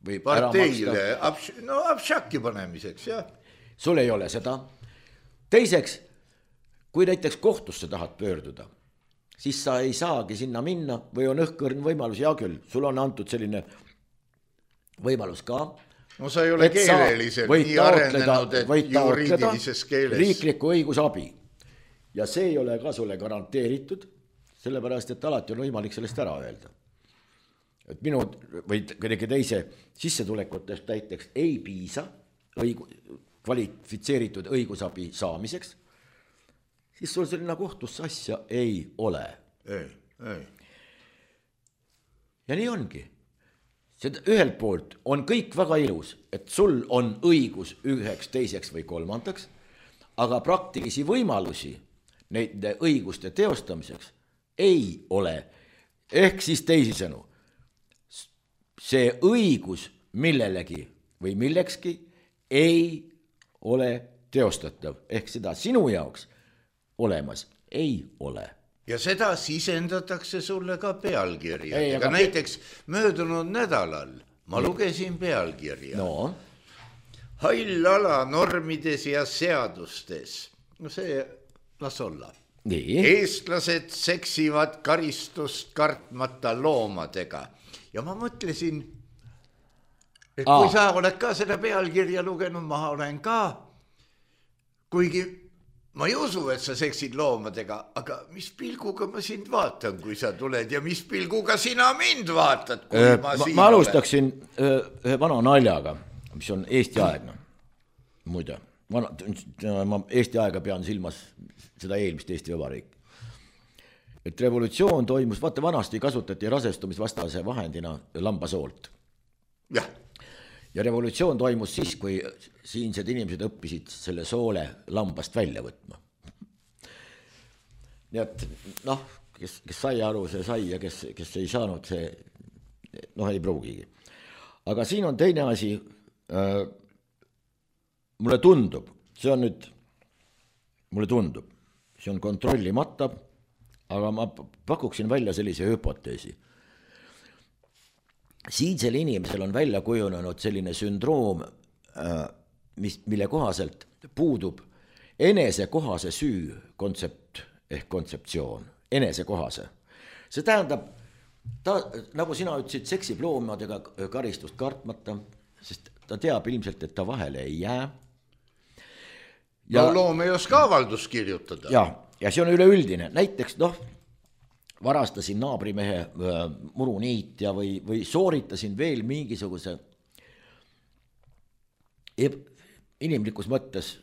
või parteile, abš- no abšaki panemiseks, jah. Sul ei ole seda. Teiseks, kui näiteks kohtusse tahad pöörduda, siis sa ei saagi sinna minna või on õhkõrn võimalus, ja küll, sul on antud selline võimalus ka. No sa ei ole keeleliselt nii arenenud, et juriidilises keeles. Riikliku õigusabi. Ja see ei ole ka sulle garanteeritud, sellepärast, et alati on võimalik sellest ära öelda. Et minu või kõige teise sissetulekutest näiteks ei piisa õigu, kvalifitseeritud õigusabi saamiseks, siis sul selline kohtusse asja ei ole. Ei, ei. Ja nii ongi. Seda ühelt poolt on kõik väga ilus, et sul on õigus üheks, teiseks või kolmandaks, aga praktilisi võimalusi neid õiguste teostamiseks ei ole. Ehk siis teisisõnu, see õigus millelegi või millekski ei ole teostatav. Ehk seda sinu jaoks olemas ei ole. Ja seda sisendatakse sulle ka pealkirja. Aga näiteks möödunud nädalal ma lugesin pealkirja. No. Hall ala normides ja seadustes. No see, las olla. Nii. Eestlased seksivad karistust kartmata loomadega. Ja ma mõtlesin, et Aa. kui sa oled ka seda pealkirja lugenud, ma olen ka, kuigi ma ei usu, et sa seksid loomadega, aga mis pilguga ma sind vaatan, kui sa tuled ja mis pilguga sina mind vaatad, kui äh, ma, ma siin ma alustaksin olen. Ühe vana naljaga, mis on Eesti aegna. Muide, vana, ma Eesti aega pean silmas seda eelmist Eesti Vabariik. Et revolutsioon toimus, vaata vanasti kasutati rasestumisvastase vahendina lambasoolt. Jah. Ja revolutsioon toimus siis, kui siinsed inimesed õppisid selle soole lambast välja võtma. Nii et noh, kes, kes sai aru, see sai ja kes, kes ei saanud, see noh ei pruugigi. Aga siin on teine asi, äh, mulle tundub, see on nüüd, mulle tundub, see on kontrollimata, aga ma pakuksin välja sellise hüpoteesi. Siinsel inimesel on välja kujunenud selline sündroom, mis, mille kohaselt puudub enesekohase süü kontsept ehk kontseptsioon, enesekohase. See tähendab, ta, nagu sina ütlesid, seksib loomadega karistust kartmata, sest ta teab ilmselt, et ta vahele ei jää. Ja, no loom ei oska avaldus kirjutada. Ja, ja see on üleüldine. Näiteks, noh, varastasin naabrimehe äh, muruniitja või, või sooritasin veel mingisuguse eb, inimlikus mõttes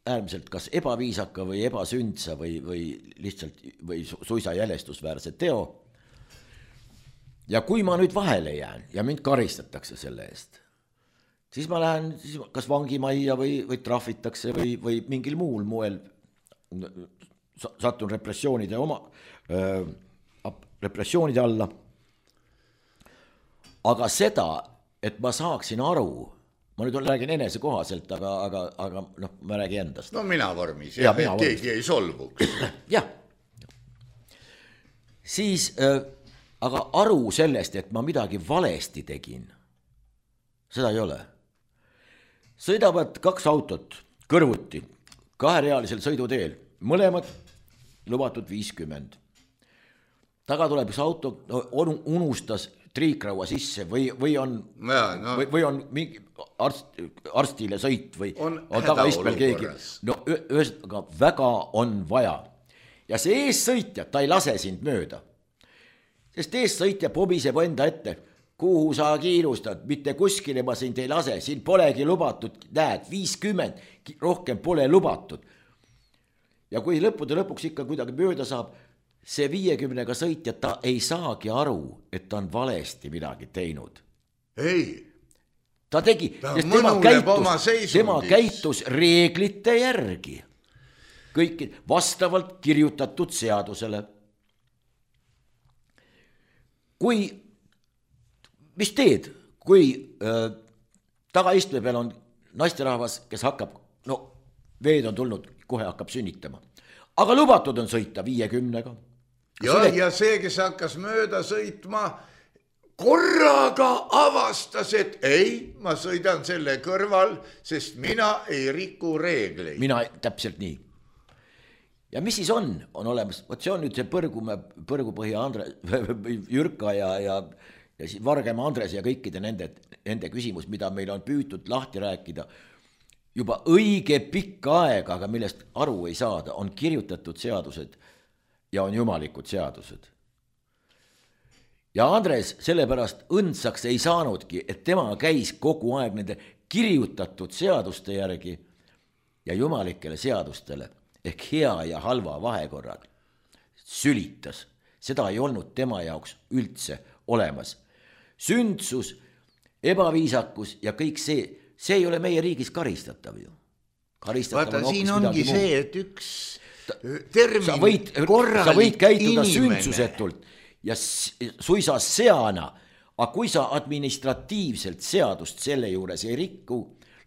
äärmiselt kas ebaviisaka või ebasündsa või, või lihtsalt või su, suisa jälestusväärse teo. ja kui ma nüüd vahele jään ja mind karistatakse selle eest, siis ma lähen siis kas vangimajja või, või trahvitakse või, või mingil muul moel satun repressioonide oma äh, repressioonide alla. Aga seda, et ma saaksin aru, ma nüüd räägin enese kohaselt, aga, aga, aga noh, ma räägin endast. No mina vormis, ja, et keegi ei solvuks. Jah. Siis, äh, aga aru sellest, et ma midagi valesti tegin, seda ei ole. Sõidavad kaks autot kõrvuti, kaherealisel sõiduteel, mõlemad lubatud viiskümmend. Taga tuleb üks auto, on, unustas triikraua sisse või, või, on, ja, no. või, või on mingi arst, arstile sõit või on, on tagaistmel keegi. No ühesõnaga väga on vaja. Ja see eessõitja, ta ei lase sind mööda. Sest eessõitja pobiseb enda ette, kuhu sa kiirustad, mitte kuskile ma sind ei lase, siin polegi lubatud, näed, viiskümmend, rohkem pole lubatud. Ja kui lõppude lõpuks ikka kuidagi mööda saab, see viiekümnega sõitja, ta ei saagi aru, et ta on valesti midagi teinud. Ei. Ta tegi, ta sest tema käitus, tema seisundis. käitus reeglite järgi. Kõik vastavalt kirjutatud seadusele. Kui, mis teed, kui äh, tagaistme peal on naisterahvas, kes hakkab, no veed on tulnud, kohe hakkab sünnitama. Aga lubatud on sõita viiekümnega. Ja, Sõlet... ja see, kes hakkas mööda sõitma, korraga avastas, et ei, ma sõidan selle kõrval, sest mina ei riku reegleid. Mina täpselt nii. Ja mis siis on, on olemas, võt see on nüüd see Põrgumäe, Põrgupõhja Andres, Jürka ja, ja, ja Vargema Andres ja kõikide nende, nende küsimus, mida meil on püütud lahti rääkida, juba õige pikka aega, aga millest aru ei saada, on kirjutatud seadused ja on jumalikud seadused. Ja Andres sellepärast õndsaks ei saanudki, et tema käis kogu aeg nende kirjutatud seaduste järgi ja jumalikele seadustele ehk hea ja halva vahekorrad sülitas. Seda ei olnud tema jaoks üldse olemas. Sündsus, ebaviisakus ja kõik see, see ei ole meie riigis karistatav ju. Vaata, on siin ongi see, muu. Et üks termin sa võid, sa võid käituda sündsusetult ja suisa seana, aga kui sa administratiivselt seadust selle juures ei rikku,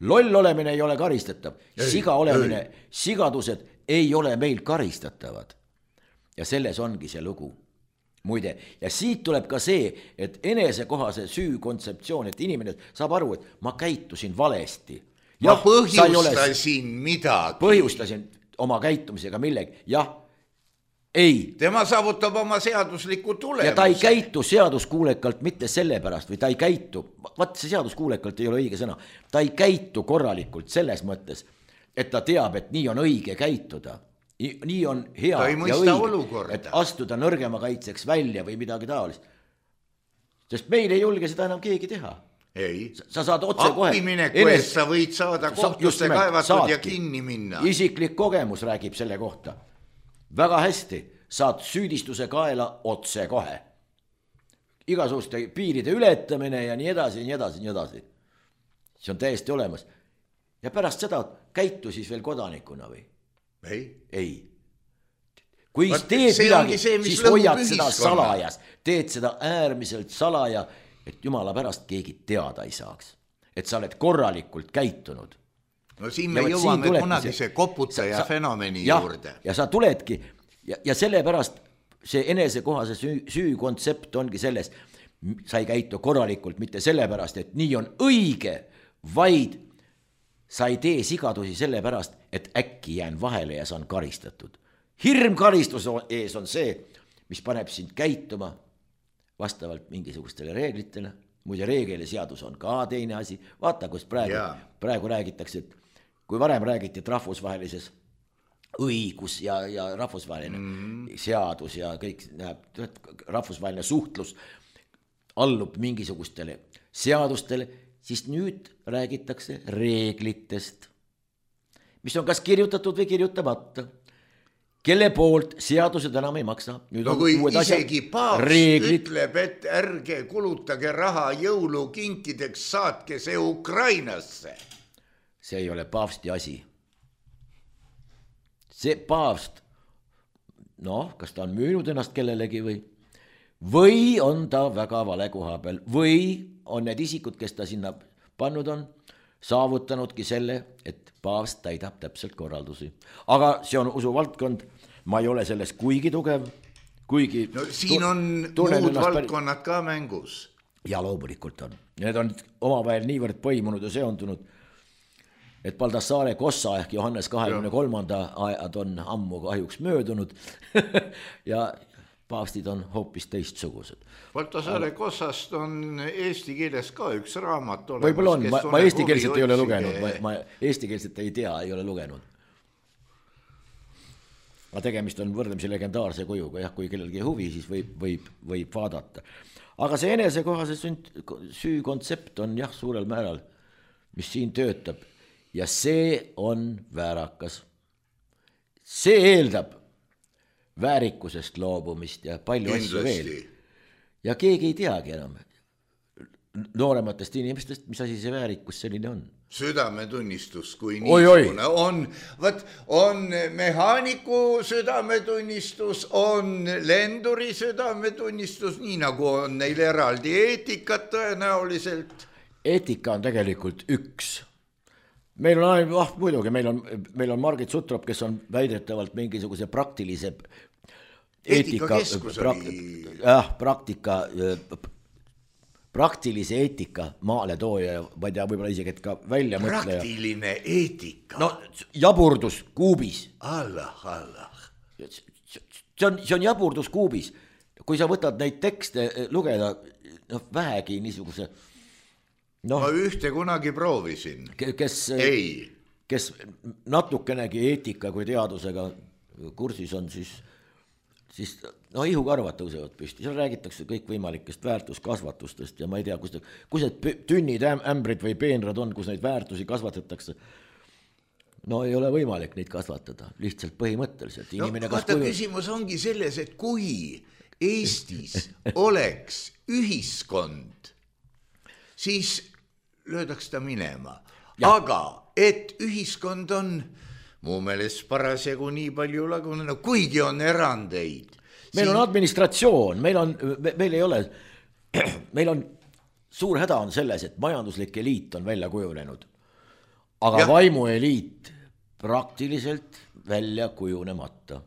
loll olemine ei ole karistatav, ei, siga olemine, ei. Sigadused ei ole meil karistatavad. Ja selles ongi see lugu. Muide, ja siit tuleb ka see, et enesekohase süü kontseptsioon, et inimene saab aru, et ma käitusin valesti. Ma jah, põhjustasin ole... midagi. Põhjustasin oma käitumisega millegi. Jah, ei. Tema saavutab oma seadusliku tulemuse. Ja ta ei käitu seaduskuulekalt mitte sellepärast, või ta ei käitu, vaat see seaduskuulekalt ei ole õige sõna, ta ei käitu korralikult selles mõttes, et ta teab, et nii on õige käituda. Nii on hea ja õige, olukorda. Et astuda nõrgema kaitseks välja või midagi taolist. Sest meil ei julge seda enam keegi teha. Ei. Sa saad otse kohe. Appimineku eest sa võid saada kohtusse kaevatud saadki. Ja kinni minna. Isiklik kogemus räägib selle kohta. Väga hästi saad süüdistuse kaela otse kohe. Igasuguste piiride ületamine ja nii edasi, nii edasi, nii edasi. See on täiesti olemas. Ja pärast seda käitu siis veel kodanikuna või? Ei. Ei. Kui Vaat, teed midagi, see, siis hoiad seda salajas. Teed seda äärmiselt salaja, et jumala pärast keegi teada ei saaks. Et sa oled korralikult käitunud. No siin me ja jõuame siin kunagi see koputaja sa, fenomeni ja, juurde. Ja sa tuledki, ja, ja sellepärast see enesekohase süü, süü kontsept ongi selles, sa ei käitu korralikult mitte sellepärast, et nii on õige, vaid sa ei tee sigadusi sellepärast, et äkki jään vahele ja saan karistatud. Hirm karistus ees on see, mis paneb sind käituma vastavalt mingisugustele reeglitele. Muide, reegel ja seadus on ka teine asi. Vaata, kus praegu, yeah. praegu räägitakse, et kui varem räägiti, et rahvusvahelises õigus ja, ja rahvusvaheline mm. seadus ja kõik näeb, rahvusvaheline suhtlus allub mingisugustele seadustele, siis nüüd räägitakse reeglitest, mis on kas kirjutatud või kirjutamata. kelle poolt seadused enam ei maksa. Nüüd no kui isegi paavst reeglid... ütleb, et ärge kulutage raha jõulukinkideks, saatke see Ukrainasse. See ei ole paavsti asi. See paavst, noh, kas ta on müünud ennast kellelegi või, või on ta väga vale koha peal, või on need isikud, kes ta sinna pannud on, saavutanudki selle, et paavst täidab täpselt korraldusi. Aga see on usuvaldkond, ma ei ole selles kuigi tugev, kuigi... No siin on muud valdkonnad ka mängus. Ja loomulikult on. Need on omavahel niivõrd põimunud ja seondunud, et Baldassare Kossa ehk Johannes kahekümne kolmanda ajad on ammu kahjuks möödunud ja paavstid on hoopis teistsugused. Baldassare Kossast on eesti keeles ka üks raamat olemas. Võib-olla on, ma, ma eesti keelset ei ole lugenud, ma, ma eesti keelset ei tea, ei ole lugenud. Aga tegemist on võrdlemisi legendaarse kujuga, jah, kui kellelgi huvi, siis võib, võib, võib vaadata. Aga see enesekohase süü kontsept on jah, suurel määral, mis siin töötab. Ja see on väärakas. See eeldab väärikusest loobumist ja palju asju veel. Ja keegi ei teagi enam noorematest inimestest, mis asi see väärikus selline on. Südametunnistus kui oi, niisugune oi. on, võt, on mehaaniku südametunnistus, on lenduri südametunnistus, nii nagu on neil eraldi eetikat tõenäoliselt. Eetika on tegelikult üks. Meil on aeg, ah, muidugi, meil on, meil on Margit Sutrop, kes on väidetavalt mingisuguse praktilise eetika, pra, jah, praktika, praktilise eetika maale tooja, ma ei tea, võib-olla isegi, et ka välja mõtleja. Praktiline eetika. No jaburdus kuubis. Allah, Allah. See on, see on jaburdus kuubis. Kui sa võtad neid tekste lugeda, no vähegi niisuguse... No, ma ühte kunagi proovisin. Kes, ei. Kes natukenegi eetika kui teadusega kursis on, siis, siis no ihukarvad tõusevad püsti. Seal räägitakse kõik võimalikest väärtuskasvatustest ja ma ei tea, kus, kus need tünnid, ämbrid või peenrad on, kus neid väärtusi kasvatatakse. No ei ole võimalik neid kasvatada, lihtsalt põhimõtteliselt. Inimene no, vaata, kuju... küsimus ongi selles, et kui Eestis oleks ühiskond, siis löödaks ta minema. Ja. Aga et ühiskond on mu meelest parasjagu nii palju lagunenud, kuigi on erandeid. Meil siin... on administratsioon, meil on, meil ei ole, meil on suur häda on selles, et majanduslik eliit on välja kujunenud, aga ja. Vaimueliit praktiliselt välja kujunemata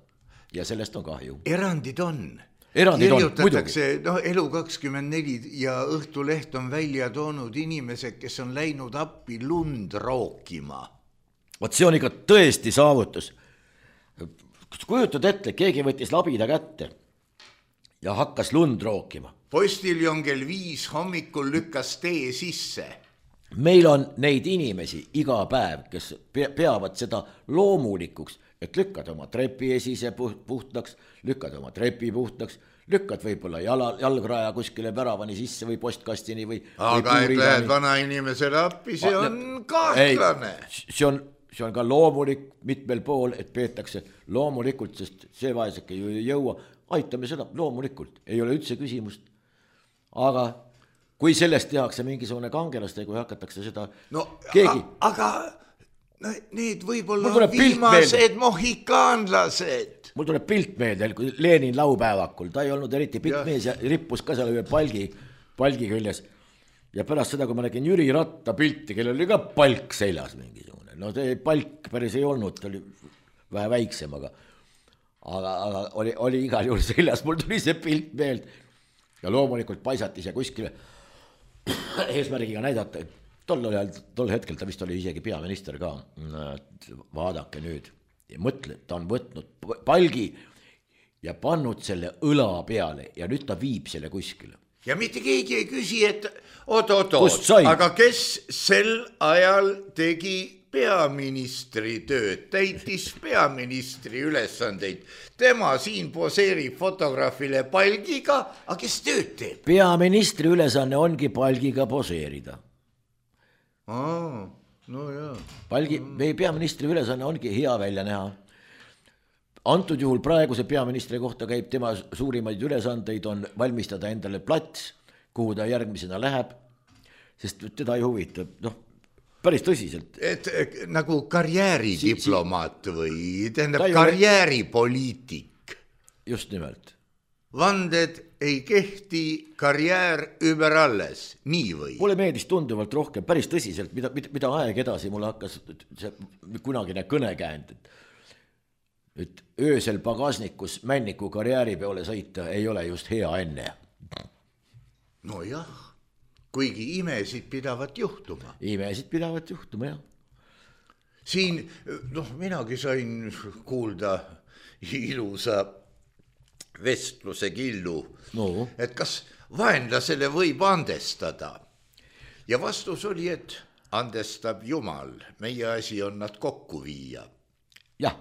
ja sellest on kahju. Erandid on. Erandid kirjutatakse, no Elu kakskümmend neli ja Õhtuleht on välja toonud inimesed, kes on läinud appi lund rookima. Vot see on ikka tõesti saavutus. Kujutad ette, keegi võttis labida kätte ja hakkas lund rookima. Postiljon kell viis hommikul lükkas tee sisse. Meil on neid inimesi iga päev, kes peavad seda loomulikuks, et lükkad oma trepi esise puhtaks, lükkad oma trepi puhtaks, lükkad võib-olla jala, jalgraja kuskile väravani sisse või postkastini või... Aga või et lähed vana inimesele appi, see on kahtlane. See on, see on ka loomulik mitmel pool, et peetakse loomulikult, sest see vaeseke ju ei jõua. Aitame seda loomulikult, ei ole üldse küsimust. Aga kui sellest tehakse mingisugune kangelaste, kui hakatakse seda no, keegi... Aga... No, need võib-olla on viimased mohikaanlased. Mul tuleb pilt meelde, kui Lenin laupäevakul, ta ei olnud eriti pikk mees ja rippus ka seal ühe palgi, palgi küljes. Ja pärast seda, kui ma nägin Jüri Ratta pilti, kellel oli ka palk seljas mingisugune. No see palk päris ei olnud, ta oli vähe väiksem, aga, aga, aga oli, oli igal juhul seljas. Mul tuli see pilt meelde ja loomulikult paisatis ja kuskile eesmärgiga näidata. Tol, tol hetkel ta vist oli isegi peaminister ka. Vaadake nüüd ja mõtle, ta on võtnud palgi ja pannud selle õla peale ja nüüd ta viib selle kuskile. Ja mitte keegi ei küsi, et oot, oot, oot, aga kes sel ajal tegi peaministri tööd, täitis peaministri ülesandeid. Tema siin poseerib fotograafile palgiga, aga kes tööd teeb? Peaministri ülesanne ongi palgiga poseerida. Aa, no jaa. Palgi, meie peaministri ülesanne ongi hea välja näha. antud juhul praeguse peaministri kohta käib tema suurimaid ülesandeid on valmistada endale plats, kuhu ta järgmisena läheb, sest teda ei huvitab, noh, päris tõsiselt. Et nagu karjääridiplomaat või tähendab karjääripoliitik. Just nimelt. Vanded ei kehti, karjäär ümber alles, nii või? Mulle meeldis tunduvalt rohkem, päris tõsiselt, mida, mida aeg edasi mulle hakkas see kunagine kõnekäänd, et et öösel pagasnikus männiku karjääri peale sõita ei ole just hea enne. No jah, kuigi imesid pidavat juhtuma. Imesid pidavat juhtuma, jah. Siin, noh, minagi sain kuulda ilusa vestluse killu, no. Et kas vaenlasele võib andestada. Ja vastus oli, et andestab Jumal, meie asi on nad kokku viia. Jah.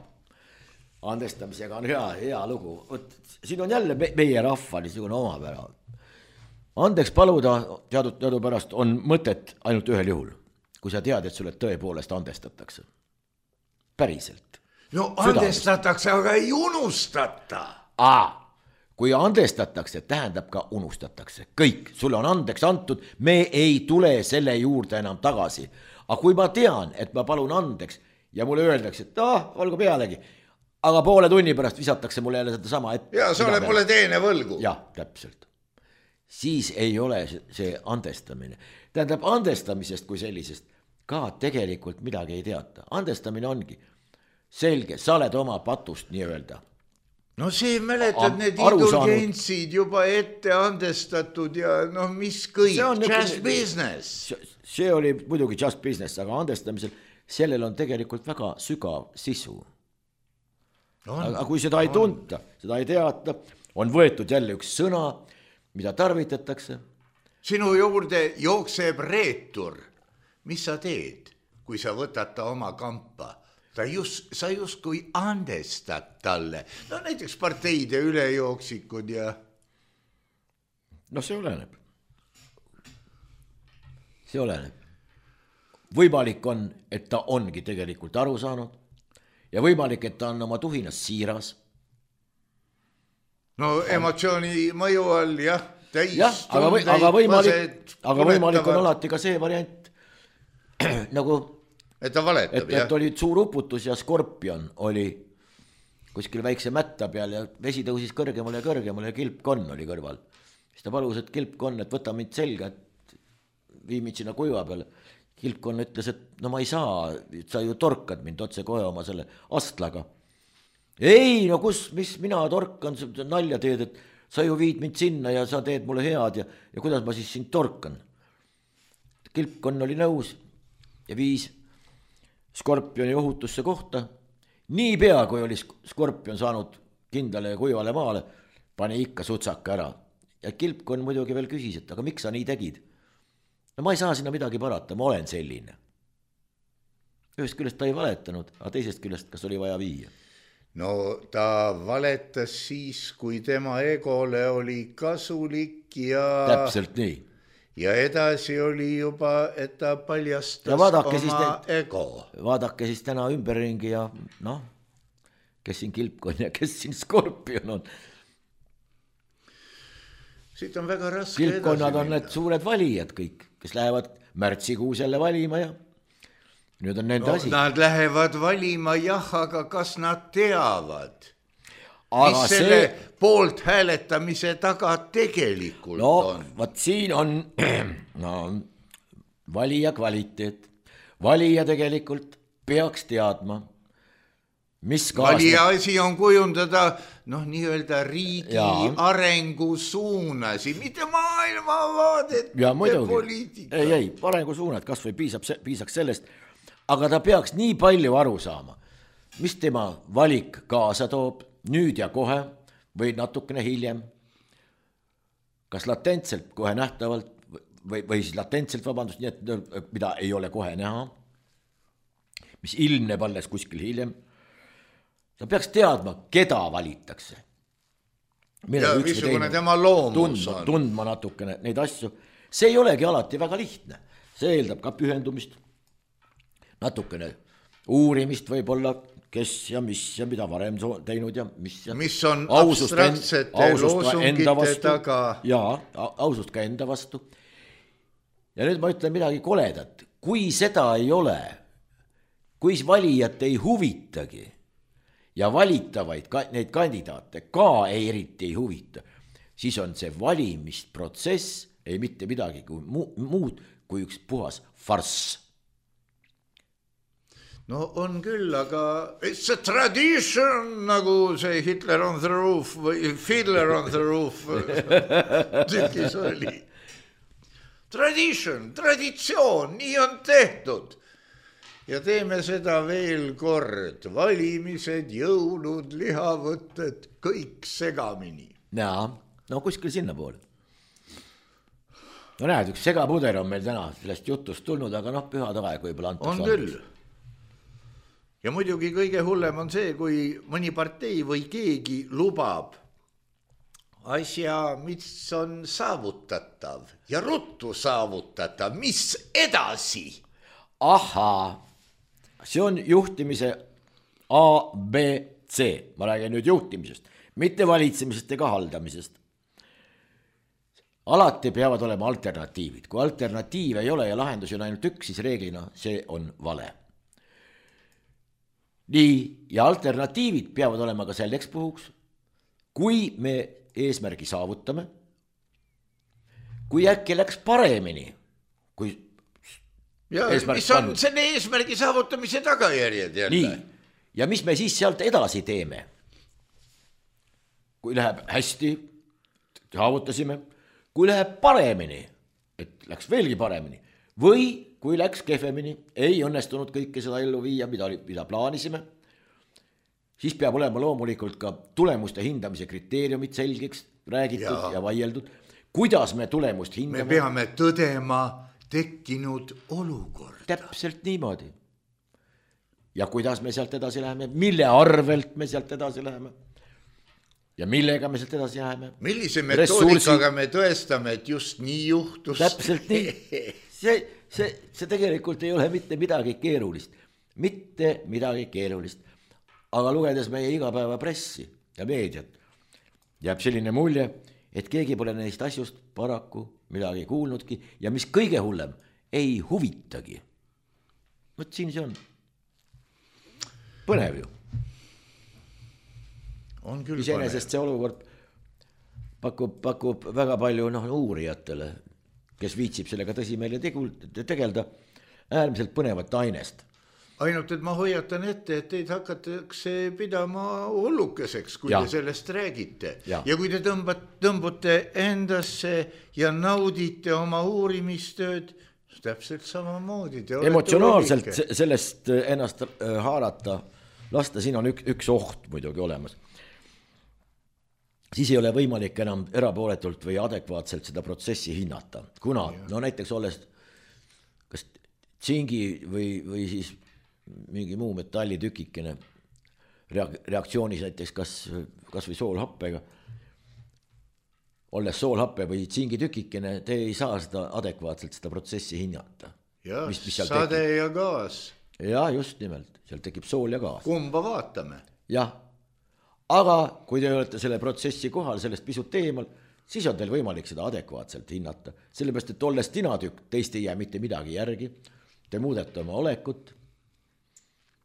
Andestamisega on hea, hea lugu. Võt, siin on jälle me, meie rahva niisugune omapära. Andeks paluda teadud teadu pärast on mõtet ainult ühel juhul, kui sa tead, et sulle tõepoolest andestatakse. Päriselt. No andestatakse, aga ei unustata. Aa, kui andestatakse, tähendab ka unustatakse. Kõik, sulle on andeks antud, me ei tule selle juurde enam tagasi. Aga kui ma tean, et ma palun andeks ja mulle öeldakse, et ah, olgu pealegi, aga poole tunni pärast visatakse mulle jälle seda sama ette. Ja sa oled mulle teene võlgu. Jah, täpselt. Siis ei ole see andestamine. Tähendab, andestamisest kui sellisest ka tegelikult midagi ei teata. Andestamine ongi selge, sa oled oma patust nii öelda. No see mäletad need indulgentsid juba ette andestatud ja noh, mis kõik, just nagu, business. See oli muidugi just business, aga andestamisel sellel on tegelikult väga sügav sisu. On, aga kui seda ei tunta, seda ei teata, on võetud jälle üks sõna, mida tarvitatakse. Sinu juurde jookseb reetur. Mis sa teed, kui sa võtad ta oma kampa? Ta just, sa just kui andestad talle. No näiteks parteide ülejooksikud ja... No see oleneb. See oleneb. Võimalik on, et ta ongi tegelikult aru saanud. Ja võimalik, et ta on oma tuhinas siiras. No emotsiooni mõju all, jah, täis jah, aga, või, aga, võimalik, aga võimalik on alati ka see variant, nagu, et ta valetab, et, et oli suur uputus ja Skorpion oli kuskil väikse mätta peal ja vesi tõusis kõrgemale ja kõrgemale ja kilpkonn oli kõrval. Siis ta palus, et kilpkonn, et võta mind selga, et vii mind sinna kuiva peale. Kilpkonn ütles, et no ma ei saa, sa ju torkad mind otse kohe oma selle astlaga. Ei, no kus, mis mina torkan, nalja teed, et sa ju viid mind sinna ja sa teed mulle head ja, ja kuidas ma siis sind torkan. Kilpkonn oli nõus ja viis Skorpioni ohutusse kohta. Nii pea, kui oli Skorpion saanud kindlale ja kuivale maale, pani ikka sutsaka ära. Ja Kilpkonn muidugi veel küsis, et aga miks sa nii tegid? No ma ei saa sinna midagi parata, ma olen selline. Ühest küljest ta ei valetanud, aga teisest küljest kas oli vaja viia? No ta valetas siis, kui tema egole oli kasulik ja... Täpselt nii. Ja edasi oli juba, et ta paljastas oma need, ego. Vaadake siis täna ümberringi ja noh, kes siin Kilpkonn ja kes siin Skorpion on. Siit on väga raske Kilpkonnad edasi on need suured valijad kõik, kes lähevad märtsikuus jälle valima ja nüüd on nende no, asi. Nad lähevad valima, jah, aga kas nad teavad, aga mis see... selle poolt hääletamise taga tegelikult no, on? No, vaat siin on no, valija kvaliteet. Valija tegelikult peaks teadma, mis kaasneb. Valija asi on kujundada noh, nii-öelda riigi ja. Arengu suunasi, mitte maailmavaadet ja poliitika. Ei, ei, arengu suunad, kas või piisab, piisaks sellest, aga ta peaks nii palju aru saama, mis tema valik kaasa toob nüüd ja kohe või natukene hiljem. Kas latentselt kohe nähtavalt või, või siis latentselt, vabandust, nii et mida ei ole kohe näha, mis ilmneb alles kuskil hiljem. Ta peaks teadma, keda valitakse. Ja missugune tema loomus tundma, on. Tundma natukene neid asju. See ei olegi alati väga lihtne. See eeldab ka pühendumist, natukene uurimist võib-olla, kes ja mis ja mida varem teinud ja mis ja mis on abstraktsete loosungite taga. Jaa, ausust ka enda vastu. Ja nüüd ma ütlen midagi koledat. Kui seda ei ole, kui valijat ei huvitagi ja valitavaid neid kandidaate ka ei eriti ei huvita, siis on see valimisprotsess ei mitte midagi kui muud kui üks puhas farss. No on küll, aga it's a tradition, nagu see Hitler on the roof või Fiddler on the roof tükis oli. Tradition, traditsioon, nii on tehtud. Ja teeme seda veel kord. Valimised, jõulud, lihavõtted, kõik segamini. Jaa, no kuskil sinna poole. No näed, üks segapuder on meil täna sellest jutust tulnud, aga noh, pühad aeg võib-olla antakse. On küll. Ja muidugi kõige hullem on see, kui mõni partei või keegi lubab asja, mis on saavutatav ja ruttu saavutatav, mis edasi? Ahaa, see on juhtimise A, B, C. Ma räägin nüüd juhtimisest, mitte valitsemisest ega haldamisest. Alati peavad olema alternatiivid. Kui alternatiiv ei ole ja lahendus on ainult üks, siis reeglina see on vale. Nii, ja alternatiivid peavad olema ka selleks puhuks, kui me eesmärgi saavutame, kui äkki läks paremini, kui ja mis on pannud. Selle eesmärgi saavutamise tagajärjed jälle. Nii, ja mis me siis sealt edasi teeme? Kui läheb hästi, saavutasime, kui läheb paremini, et läks veelgi paremini, või kui läks kehvemini, ei õnnestunud kõike seda ellu viia, mida, mida plaanisime, siis peab olema loomulikult ka tulemuste hindamise kriteeriumid selgeks räägitud ja, ja vaieldud. Kuidas me tulemust hindame? Me peame tõdema tekkinud olukord. Täpselt niimoodi. Ja kuidas me sealt edasi läheme? Mille arvelt me sealt edasi läheme? Ja millega me sealt edasi läheme? Millise metoodikaga me tõestame, et just nii juhtus? Täpselt nii. See, see, see tegelikult ei ole mitte midagi keerulist. Mitte midagi keerulist. Aga lugedes meie igapäeva pressi ja meediat, jääb selline mulje, et keegi pole neist asjust paraku midagi kuulnudki ja mis kõige hullem, ei huvitagi. Võt siin see on. Põnev ju. On küll Iseenesest see olukord pakub, pakub väga palju noh, uurijatele, kes viitsib sellega tõsimeeli tegelda, äärmiselt põnevat ainest. Ainult, et ma hoiatan ette, et teid hakatakse pidama hullukeseks, kui ja. Te sellest räägite. Ja, ja kui te tõmbate, tõmbute endasse ja naudite oma uurimistööd, täpselt samamoodi. Emotsionaalselt sellest ennast haarata, lasta, siin on üks, üks oht muidugi olemas. Siis ei ole võimalik enam erapooletult või adekvaatselt seda protsessi hinnata. Kuna, ja. No näiteks olles kas tsingi või, või siis mingi muu metallitükikene reaktsioonis näiteks kas, kas või soolhappega, olles soolhappe või tsingitükikene, te ei saa seda adekvaatselt seda protsessi hinnata. Ja, mis, mis sade tekib. Ja gaas. Ja, just nimelt, seal tekib sool ja gaas. Kumba vaatame? Jah, aga kui te olete selle protsessi kohal, sellest pisut eemal, siis on teil võimalik seda adekvaatselt hinnata. Sellepärast, et olles tinatükk, teist ei jää mitte midagi järgi. Te muudete oma olekut,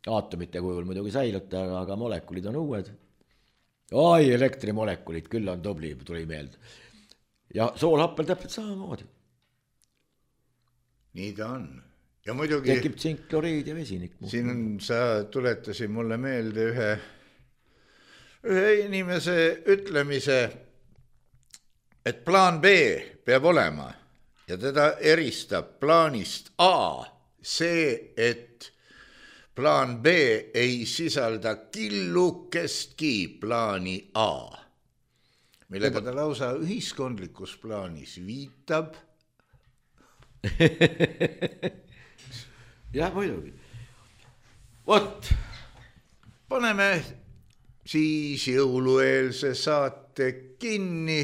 aatomite kujul muidugi säilute, aga, aga molekulid on uued. Ai, elektrimolekulid, küll on tubli, tuli meelde. Ja soolhappel täpselt samamoodi. Nii ta on. Ja muidugi... Tekib tsinkkloriid ja vesinik. Siin on, sa tuletasid mulle meelde ühe, ühe inimese ütlemise, et plaan B peab olema ja teda eristab plaanist A see, et plaan B ei sisalda killukestki plaani A, millega ta lausa ühiskondlikus plaanis viitab. Jah, muidugi. Vot. Paneme siis jõulueelse saate kinni.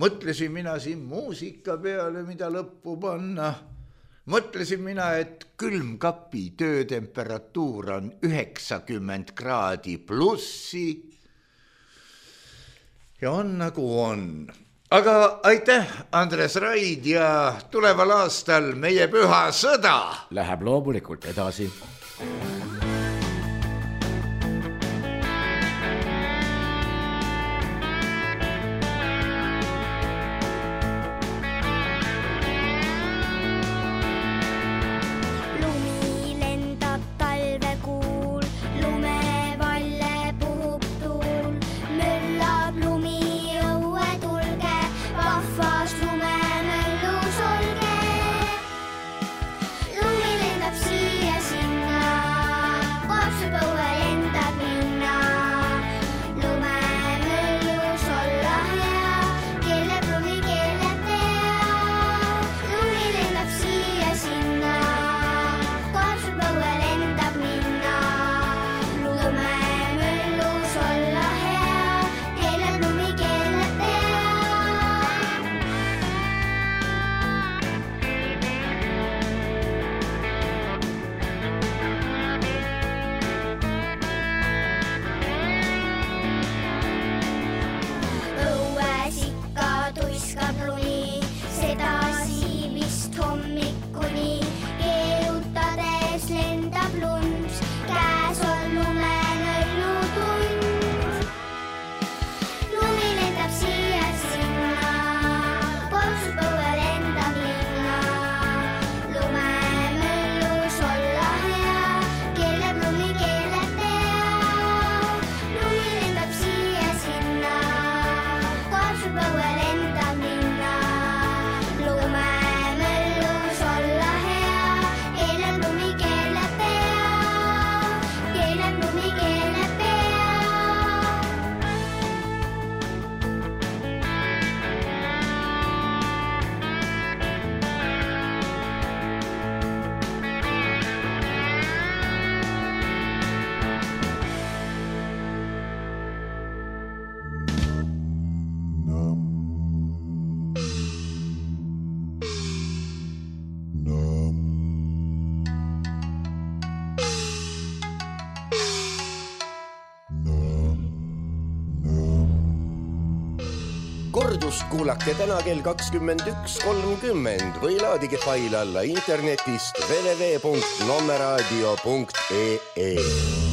Mõtlesin mina siin muusika peale, mida lõppu panna. mõtlesin mina, et külmkapi töötemperatuur on üheksakümmend kraadi plussi ja on nagu on. Aga aitäh, Andres Raid, ja tuleval aastal meie püha sõda läheb loomulikult edasi. Kordust kuulake täna kell kakskümmend üks kolmkümmend või laadige fail alla internetist w w w punkt nommeraadio punkt e e.